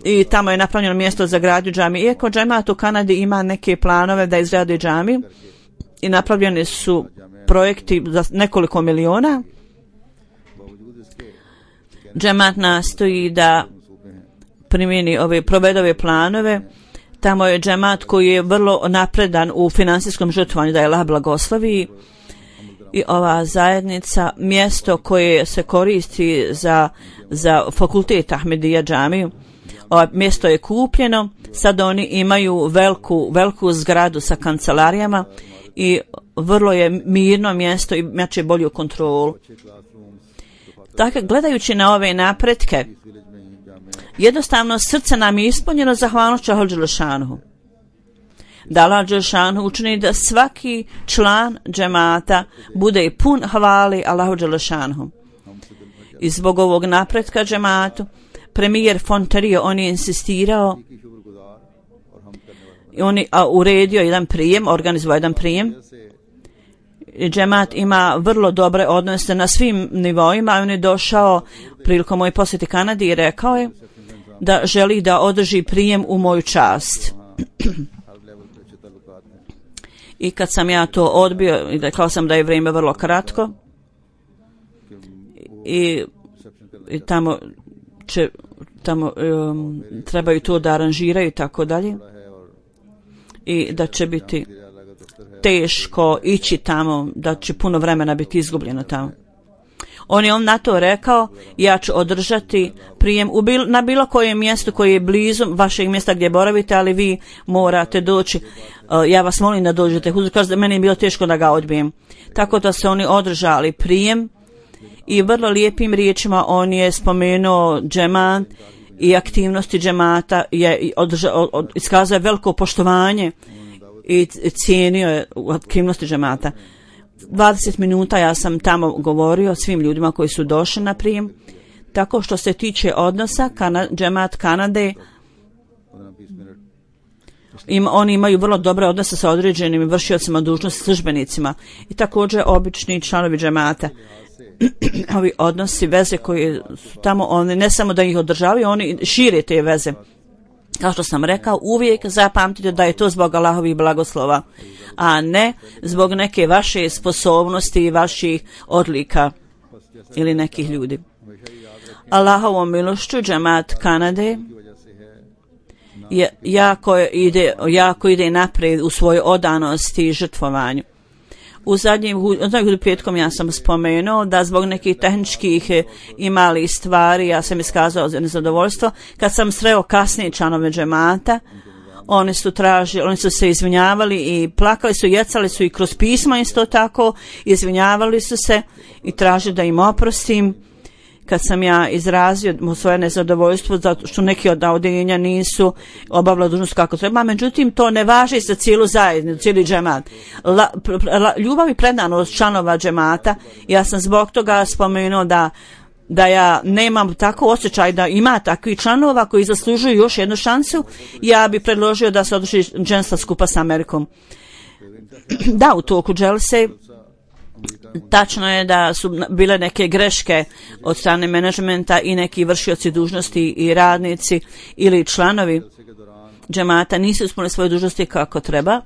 [SPEAKER 2] i tamo je napravljeno mjesto za gradnju džamije. Iako džemat u Kanadi ima neke planove da izradi džamiju i napravljeni su projekti za nekoliko miliona, džemat nastoji da provede ove planove. Tamo je džemat koji je vrlo napredan u finansijskom žrtvovanju, da je Allah blagoslovi, i ova zajednica, mjesto koje se koristi za fakultet Ahmedija džamiju, ovo mjesto je kupljeno, sad oni imaju veliku zgradu sa kancelarijama i vrlo je mirno mjesto i imaće bolju kontrolu. Dakle, gledajući na ove napretke, jednostavno srce nam je ispunjeno zahvalnošću Allahu dželešanuhu. Da Allah dželešanuhu učini da svaki član džemata bude pun hvali Allahu dželešanuhu. I zbog ovog napretka džematu, premijer Fontario, on je insistirao i on je uredio jedan prijem, organizovao jedan prijem. Džemat ima vrlo dobre odnose na svim nivoima. On je došao prilikom moje posjete Kanadi i rekao je da želi da održi prijem u moju čast. I kad sam ja to odbio i rekao sam da je vrijeme vrlo kratko i tamo trebaju to da aranžiraju i tako dalje, i da će biti teško ići tamo, da će puno vremena biti izgubljeno tamo. On je na to rekao, ja ću održati prijem na bilo kojem mjestu koje je blizu vašeg mjesta gdje boravite, ali vi morate doći. Ja vas molim da dođete. Kaže da meni je bilo teško da ga odbijem. Tako da se oni održali prijem i vrlo lijepim riječima on je spomenuo džemat i aktivnosti džemata, je iskazao veliko poštovanje i cijenio je aktivnosti džemata. 20 minuta ja sam tamo govorio svim ljudima koji su došli na prijem. Tako što se tiče odnosa, džemat Kanade, oni imaju vrlo dobre odnose sa određenim vršiocima dužnosti, službenicima i također obični članovi džemata. Ovi odnosi, veze koji su tamo, oni ne samo da ih održavaju, oni šire te veze. Kao što sam rekao, uvijek zapamtite da je to zbog Allahovih blagoslova, a ne zbog neke vaše sposobnosti i vaših odlika ili nekih ljudi. Allahovom milošću džemat Kanade jako ide naprijed u svojoj odanosti i žrtvovanju. U zadnjem petkom ja sam spomenuo da zbog nekih tehničkih i malih stvari ja sam iskazao nezadovoljstvo. Kad sam sreo kasnije članove džemata, oni su se izvinjavali i plakali su, jecali su i kroz pisma isto tako, izvinjavali su se i tražili da im oprostim. Kad sam ja izrazio svoje nezadovoljstvo zato što neki od odjeljenja nisu obavljali dužnost kako treba, međutim to ne važi za cijelu zajednicu, cijeli džemat. Ljubav i predanost članova džemata, ja sam zbog toga spomenuo da ja nemam tako osjećaj da ima takvih članova koji zaslužuju još jednu šansu. Ja bi predložio da se održi dženstva skupa s Amerikom. Da, u toku dželse tačno je da su bile neke greške od strane menadžmenta i neki vršioci dužnosti i radnici ili članovi džemata nisu ispunili svoje dužnosti kako treba.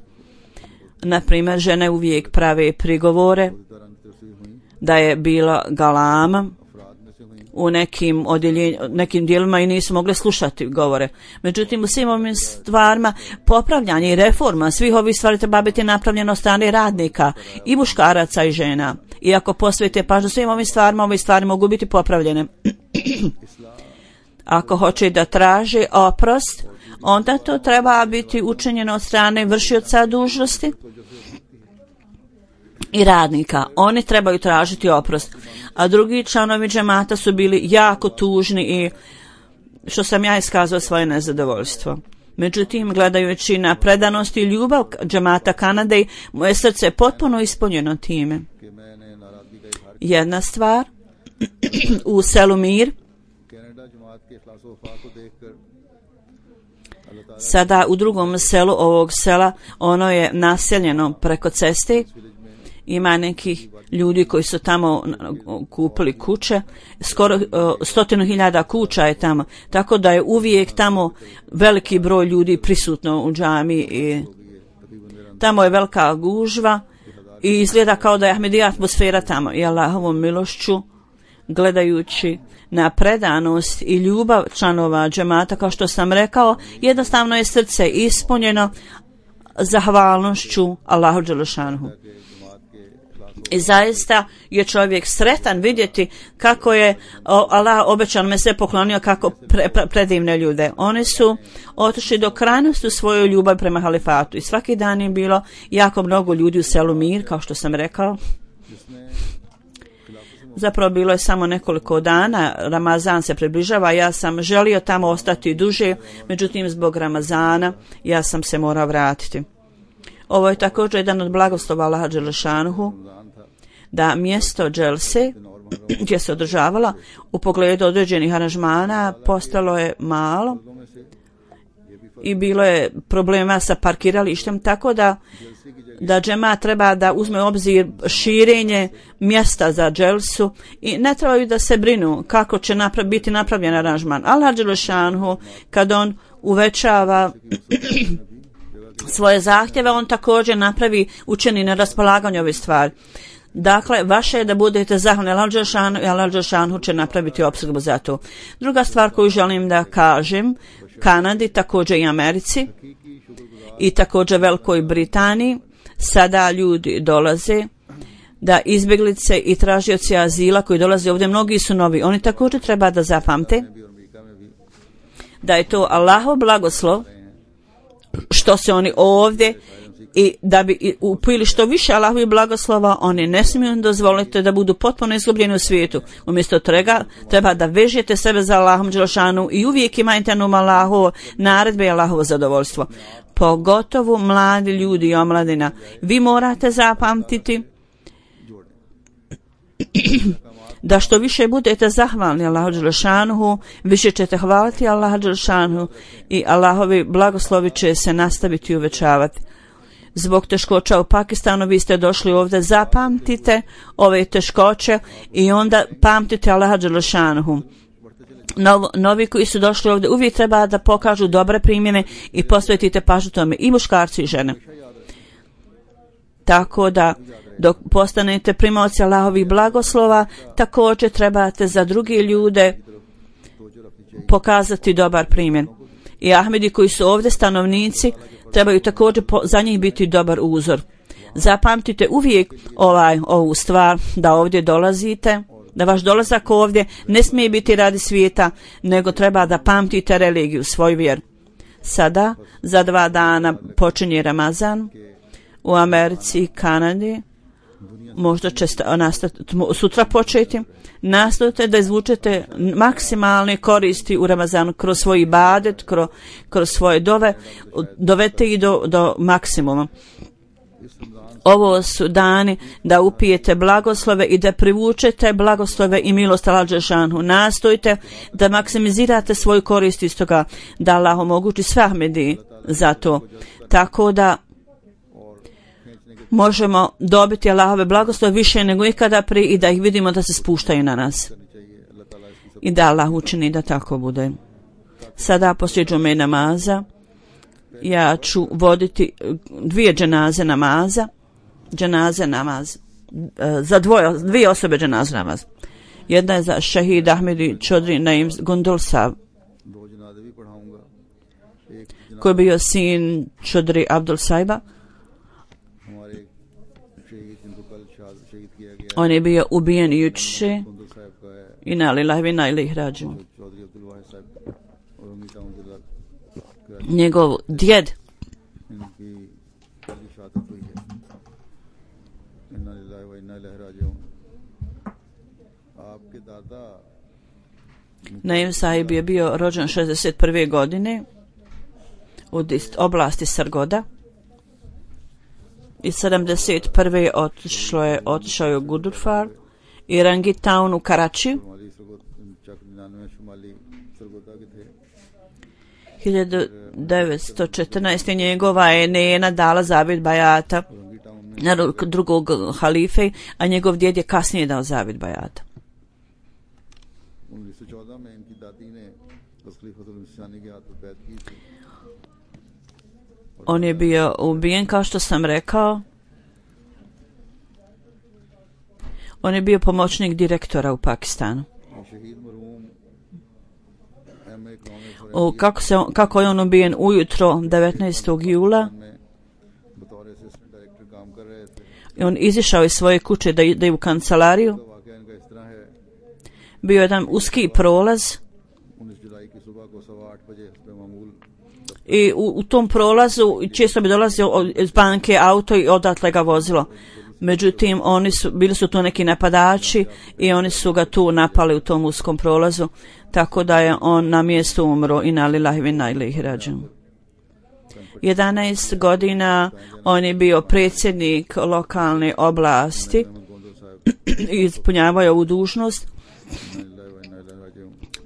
[SPEAKER 2] Naprimjer, žene uvijek prave prigovore da je bila galama, u nekim dijelima i nisu mogli slušati govore. Međutim, u svim ovim stvarima popravljanje i reforma svih ovih stvari treba biti napravljeno od strane radnika i muškaraca i žena. I ako posvetite pažnju svim ovim stvarima, ove stvari mogu biti popravljene. Ako hoće da traži oprost, onda to treba biti učinjeno od strane vršioca dužnosti i radnika. Oni trebaju tražiti oprost. A drugi članovi džemata su bili jako tužni i što sam ja iskazao svoje nezadovoljstvo. Međutim, gledajući na predanost i ljubav džemata Kanade, moje srce je potpuno ispunjeno time. Jedna stvar, u selu Mir, sada u drugom selu ovog sela, ono je naseljeno preko ceste, ima nekih ljudi koji su tamo kupili kuće, skoro 100.000 kuća je tamo, tako da je uvijek tamo veliki broj ljudi prisutno u džami i tamo je velika gužva i izgleda kao da je Ahmedija atmosfera tamo. I Allahovom milošću, gledajući na predanost i ljubav članova džemata, kao što sam rekao, jednostavno je srce ispunjeno zahvalnošću Allahu dželešanuhu. I zaista je čovjek sretan vidjeti kako je Allah obećan me sve poklonio, kako predivne ljude. Oni su otišli do krajnosti u svojoj ljubavi prema halifatu i svaki dan je bilo jako mnogo ljudi u selu Mir, kao što sam rekao. Zapravo bilo je samo nekoliko dana, Ramazan se približava, ja sam želio tamo ostati duže, međutim zbog Ramazana ja sam se morao vratiti. Ovo je također jedan od blagoslova Allaha dželešanuhu, da mjesto dželse gdje se održavala u pogledu određenih aranžmana postalo je malo i bilo je problema sa parkiralištem, tako da džemat treba da uzme u obzir širenje mjesta za dželsu i ne trebaju da se brinu kako će biti napravljen aranžman. Allah dželešanuhu, kad on uvećava svoje zahtjeve, on također učini na raspolaganju ove stvari. Dakle, vaše je da budete zahvalni Allahu dželešanuhu i Allah dželešanuhu će napraviti opskrbu za to. Druga stvar koju želim da kažem, Kanadi, također i Americi i također Velikoj Britaniji, sada ljudi dolaze, da izbjeglice i tražioci azila koji dolaze ovdje, mnogi su novi. Oni također treba da zapamte da je to Allahov blagoslov što se oni ovdje i da bi upili što više Allahovi blagoslova, oni ne smiju dozvoliti da budu potpuno izgubljeni u svijetu. Umjesto toga treba da vežete sebe za Allahom dželešanu i uvijek imajte na umu Allahovo naredbe i Allahovo zadovoljstvo. Pogotovo mladi ljudi i omladina. Vi morate zapamtiti da što više budete zahvalni Allahu dželešanuhu, više ćete hvaliti Allaha dželešanuhu i Allahovi blagoslovi će se nastaviti uvećavati. Zbog teškoća u Pakistanu vi ste došli ovdje, zapamtite ove teškoće i onda pamtite Allaha dželešanuhu. Novi koji su došli ovdje uvijek treba da pokažu dobre primjene i posvetite pažnju tome, i muškarci i žene. Tako da dok postanete primaoci Allahovih blagoslova, također trebate za druge ljude pokazati dobar primjer. I Ahmedi koji su ovdje stanovnici trebaju također za njih biti dobar uzor. Zapamtite uvijek ovu stvar, da ovdje dolazite, da vaš dolazak ovdje ne smije biti radi svijeta, nego treba da pamtite religiju, svoj vjer. Sada, za 2 dana počinje Ramazan u Americi i Kanadi. Možda će sutra početi. Nastojte da izvučete maksimalne koristi u Ramazanu kroz svoj ibadet, kroz svoje dove, dovete i do maksimuma. Ovo su dani da upijete blagoslove i da privučete blagoslove i milost Allaha dželešanuhu. Nastojte da maksimizirate svoju korist iz toga, da Allah omogući sve Ahmedi za to. Tako da možemo dobiti Allahove blagoslove više nego ikada prije i da ih vidimo da se spuštaju na nas. I da Allah učini da tako bude. Sada poslije džume namaza ja ću voditi 2 dženaze namaza. Za 2 osobe dženaze namaz. Jedna je za šehid Ahmedi Čodri Naim Gundul Sahib,
[SPEAKER 1] दो जनाजे भी पढ़ाऊंगा। एक
[SPEAKER 2] koji je bio sin Čodri Abdul Sahiba.
[SPEAKER 1] हमारे एक शहीद जिनको कल शहीद किया गया
[SPEAKER 2] On je bio ubijen juče.
[SPEAKER 1] गुंदल साहब का है,
[SPEAKER 2] Inna lillahi wa inna ilaihi rađiun.
[SPEAKER 1] Chaudhary अब्दुल वाहिद साहब और उनकी टाउन जिला
[SPEAKER 2] Njegov djed
[SPEAKER 1] इनकी कल शहादत हुई है। इन्ना लिल्लाहि व इन्ना इलैहि राजिऊन। आपके दादा
[SPEAKER 2] Naim Sahib je bio rođen 61. godine u oblasti Sargoda i 71. otišao je u Gudurfar i Rangitown u Karačiju.
[SPEAKER 1] शुमाली सरगोदा चक 99 शुमाली सरगोदा के थे।
[SPEAKER 2] 1914. njegova je nena dala zavid bajata
[SPEAKER 1] रंगी टाउन में
[SPEAKER 2] na drugog halife, a njegov djed je kasnije dao zavid bajata.
[SPEAKER 1] 1914 में इनकी दादी ने खलीफतुल मसीह के हाथ पर बैत की थी।
[SPEAKER 2] On je bio ubijen, kao što sam rekao. On je bio pomoćnik direktora u Pakistanu.
[SPEAKER 1] ये शहीद मरहूम M A. Economics
[SPEAKER 2] Kako je on ubijen ujutro 19. jula.
[SPEAKER 1] में बतौर असिस्टेंट डायरेक्टर काम कर रहे थे।
[SPEAKER 2] I on izišao iz svoje kuće da ide u kancelariju.
[SPEAKER 1] तो वाकया इनका इस तरह है,
[SPEAKER 2] Bio je jedan uski prolaz
[SPEAKER 1] 19 जुलाई की सुबह को 8:15 बजे हस्बे मामूल
[SPEAKER 2] i u tom prolazu često bi dolazio iz banke auto i odatle ga vozilo. Međutim, bili su tu neki napadači i oni su ga tu napali u tom uskom prolazu, tako da je on na mjestu umro. Inna lillahi wa inna ilaihi rađiun. 11 godina on je bio predsjednik lokalne oblasti i ispunjavao je ovu dužnost.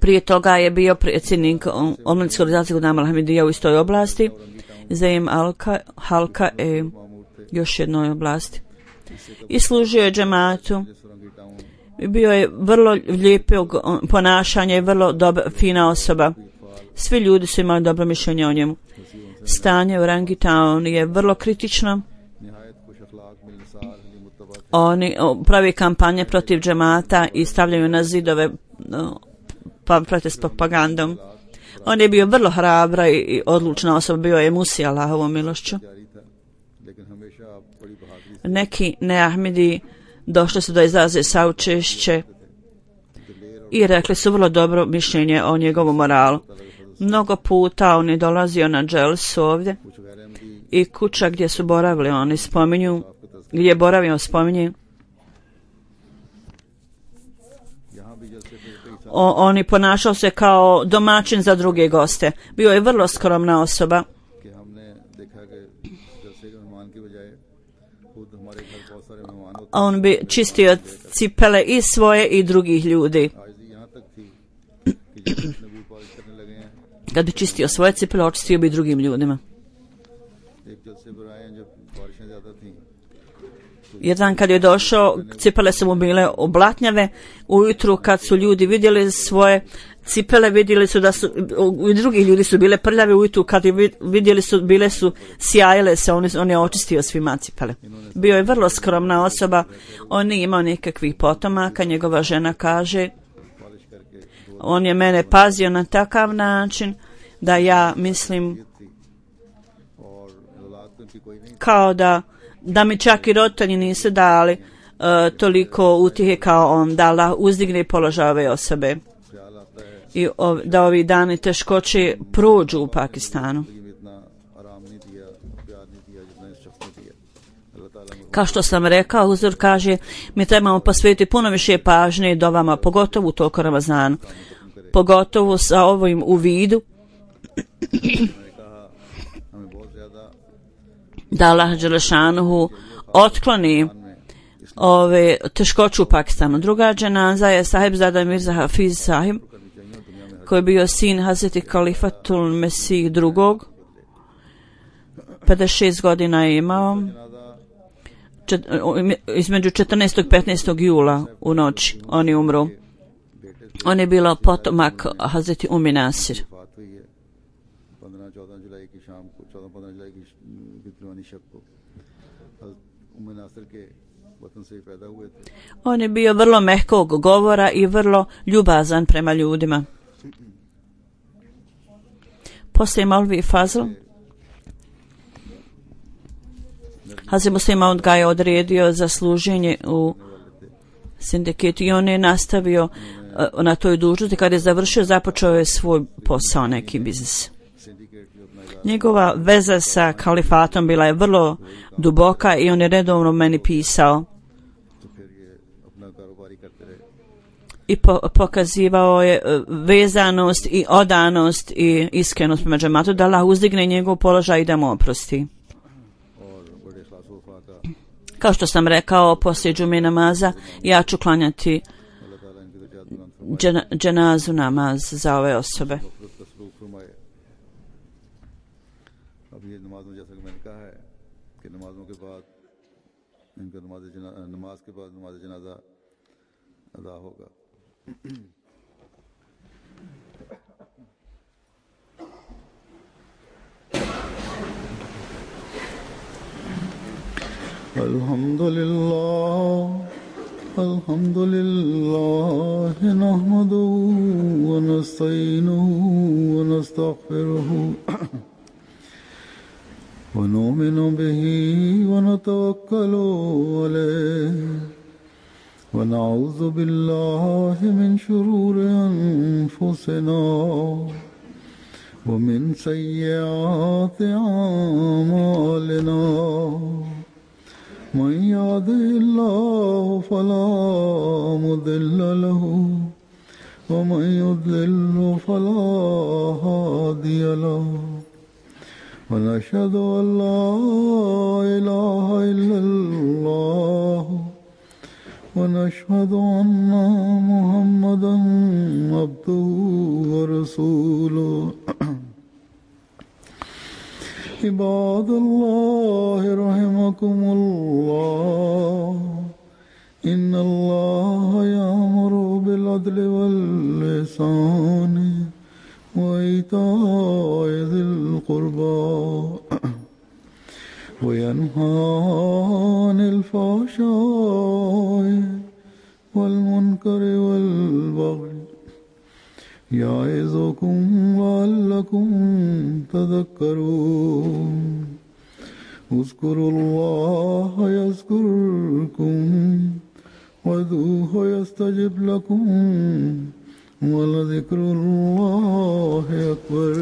[SPEAKER 2] Prije toga je bio predsjednik omladinske organizacije Ghulam Ahmadija u istoj oblasti, Zaim Halka još jednoj oblasti. I služio je džematu. Bio je vrlo lijepog ponašanja i vrlo fina osoba. Svi ljudi su imali dobro mišljenje o njemu. Stanje u Rangitown je vrlo kritično. Oni pravi kampanje protiv džemata i stavljaju na zidove protiv s propagandom. On je bio vrlo hrabra i odlučna osoba, bio je Musi Allahovom milošću. Neki neahmedi došli su da izraze saučešće i rekli su vrlo dobro mišljenje o njegovom moralu. Mnogo puta on je dolazio na dželsu ovdje i kuća gdje su boravili, oni spominju, gdje je boravio spominje. On ponašao se kao domaćin za druge goste. Bio je vrlo skromna osoba. On bi čistio cipele i svoje i drugih ljudi. Kad bi čistio svoje cipele, očistio bi drugim ljudima. Jedan kad je došao, cipele su mu bile oblatnjave. Ujutru kad su ljudi vidjeli svoje cipele, vidjeli su da su, i drugi ljudi su bile prljave. Ujutru kad je vidjeli su, bile su sjajile se, on je očistio svima cipele. Bio je vrlo skromna osoba, on nije imao nikakvih potomaka. Njegova žena kaže, on je mene pazio na takav način da ja mislim kao da mi čak i roditelji nisu dali toliko utjehe kao on, da Allah uzdigne položaj ove osobe i da ovi dani teškoće prođu u Pakistanu. Kao što sam rekao, Huzur kaže, mi trebamo posvetiti puno više pažnje dovama, pogotovo u toku Ramazanu, pogotovo sa ovim u vidu da Allah Đelešanuhu otkloni ove teškoće u Pakistanu. Druga dženaza je Sahibzada Mirza Hafiz Sahib, koji je bio sin Hazreti Khalifatul Mesih II. 56 godina je imao. Između 14. i 15. jula u noći on je umro. On je bilo potomak Hazreti Umi Nasir.
[SPEAKER 1] वतन से ही पैदा हुए थे।
[SPEAKER 2] On je bio vrlo mehkog govora i vrlo ljubazan prema ljudima. Poslije Maulvi Fazl, Hazrat Muslim Maud ga je odredio za služenje u sindiketu i on je nastavio na toj dužnosti. Kad je završio, započeo je svoj posao, neki biznis. Njegova veza sa kalifatom bila je vrlo duboka i on je redovno meni pisao i pokazivao je vezanost i odanost i iskrenost prema džematu, da Allah uzdigne njegov položaj i da mu oprosti. Kao što sam rekao, poslije džume namaza ja ću klanjati dženazu namaz za ove osobe.
[SPEAKER 1] Alhamdulillah nahmaduhu wa nasta'inuhu wa nastaghfiruhu wa nu'minu bihi wa natawakkalu alayhi wa na'udhu billahi min shururi anfusina wa min sayyiati a'malina. من يهده الله فلا مضل له ومن يضلل فلا هادي له ونشهد أن لا إله إلا الله ونشهد أن محمدا عبده ورسوله. عباد الله رحمكم الله إن الله يأمر بالعدل والإحسان وإيتاء ذي القربى وينهى عن الفحشاء والمنكر والبغي يعظكم لعلكم تذكرون. اذكروا الله يذكركم وادعوه يستجب لكم ولذكر الله أكبر.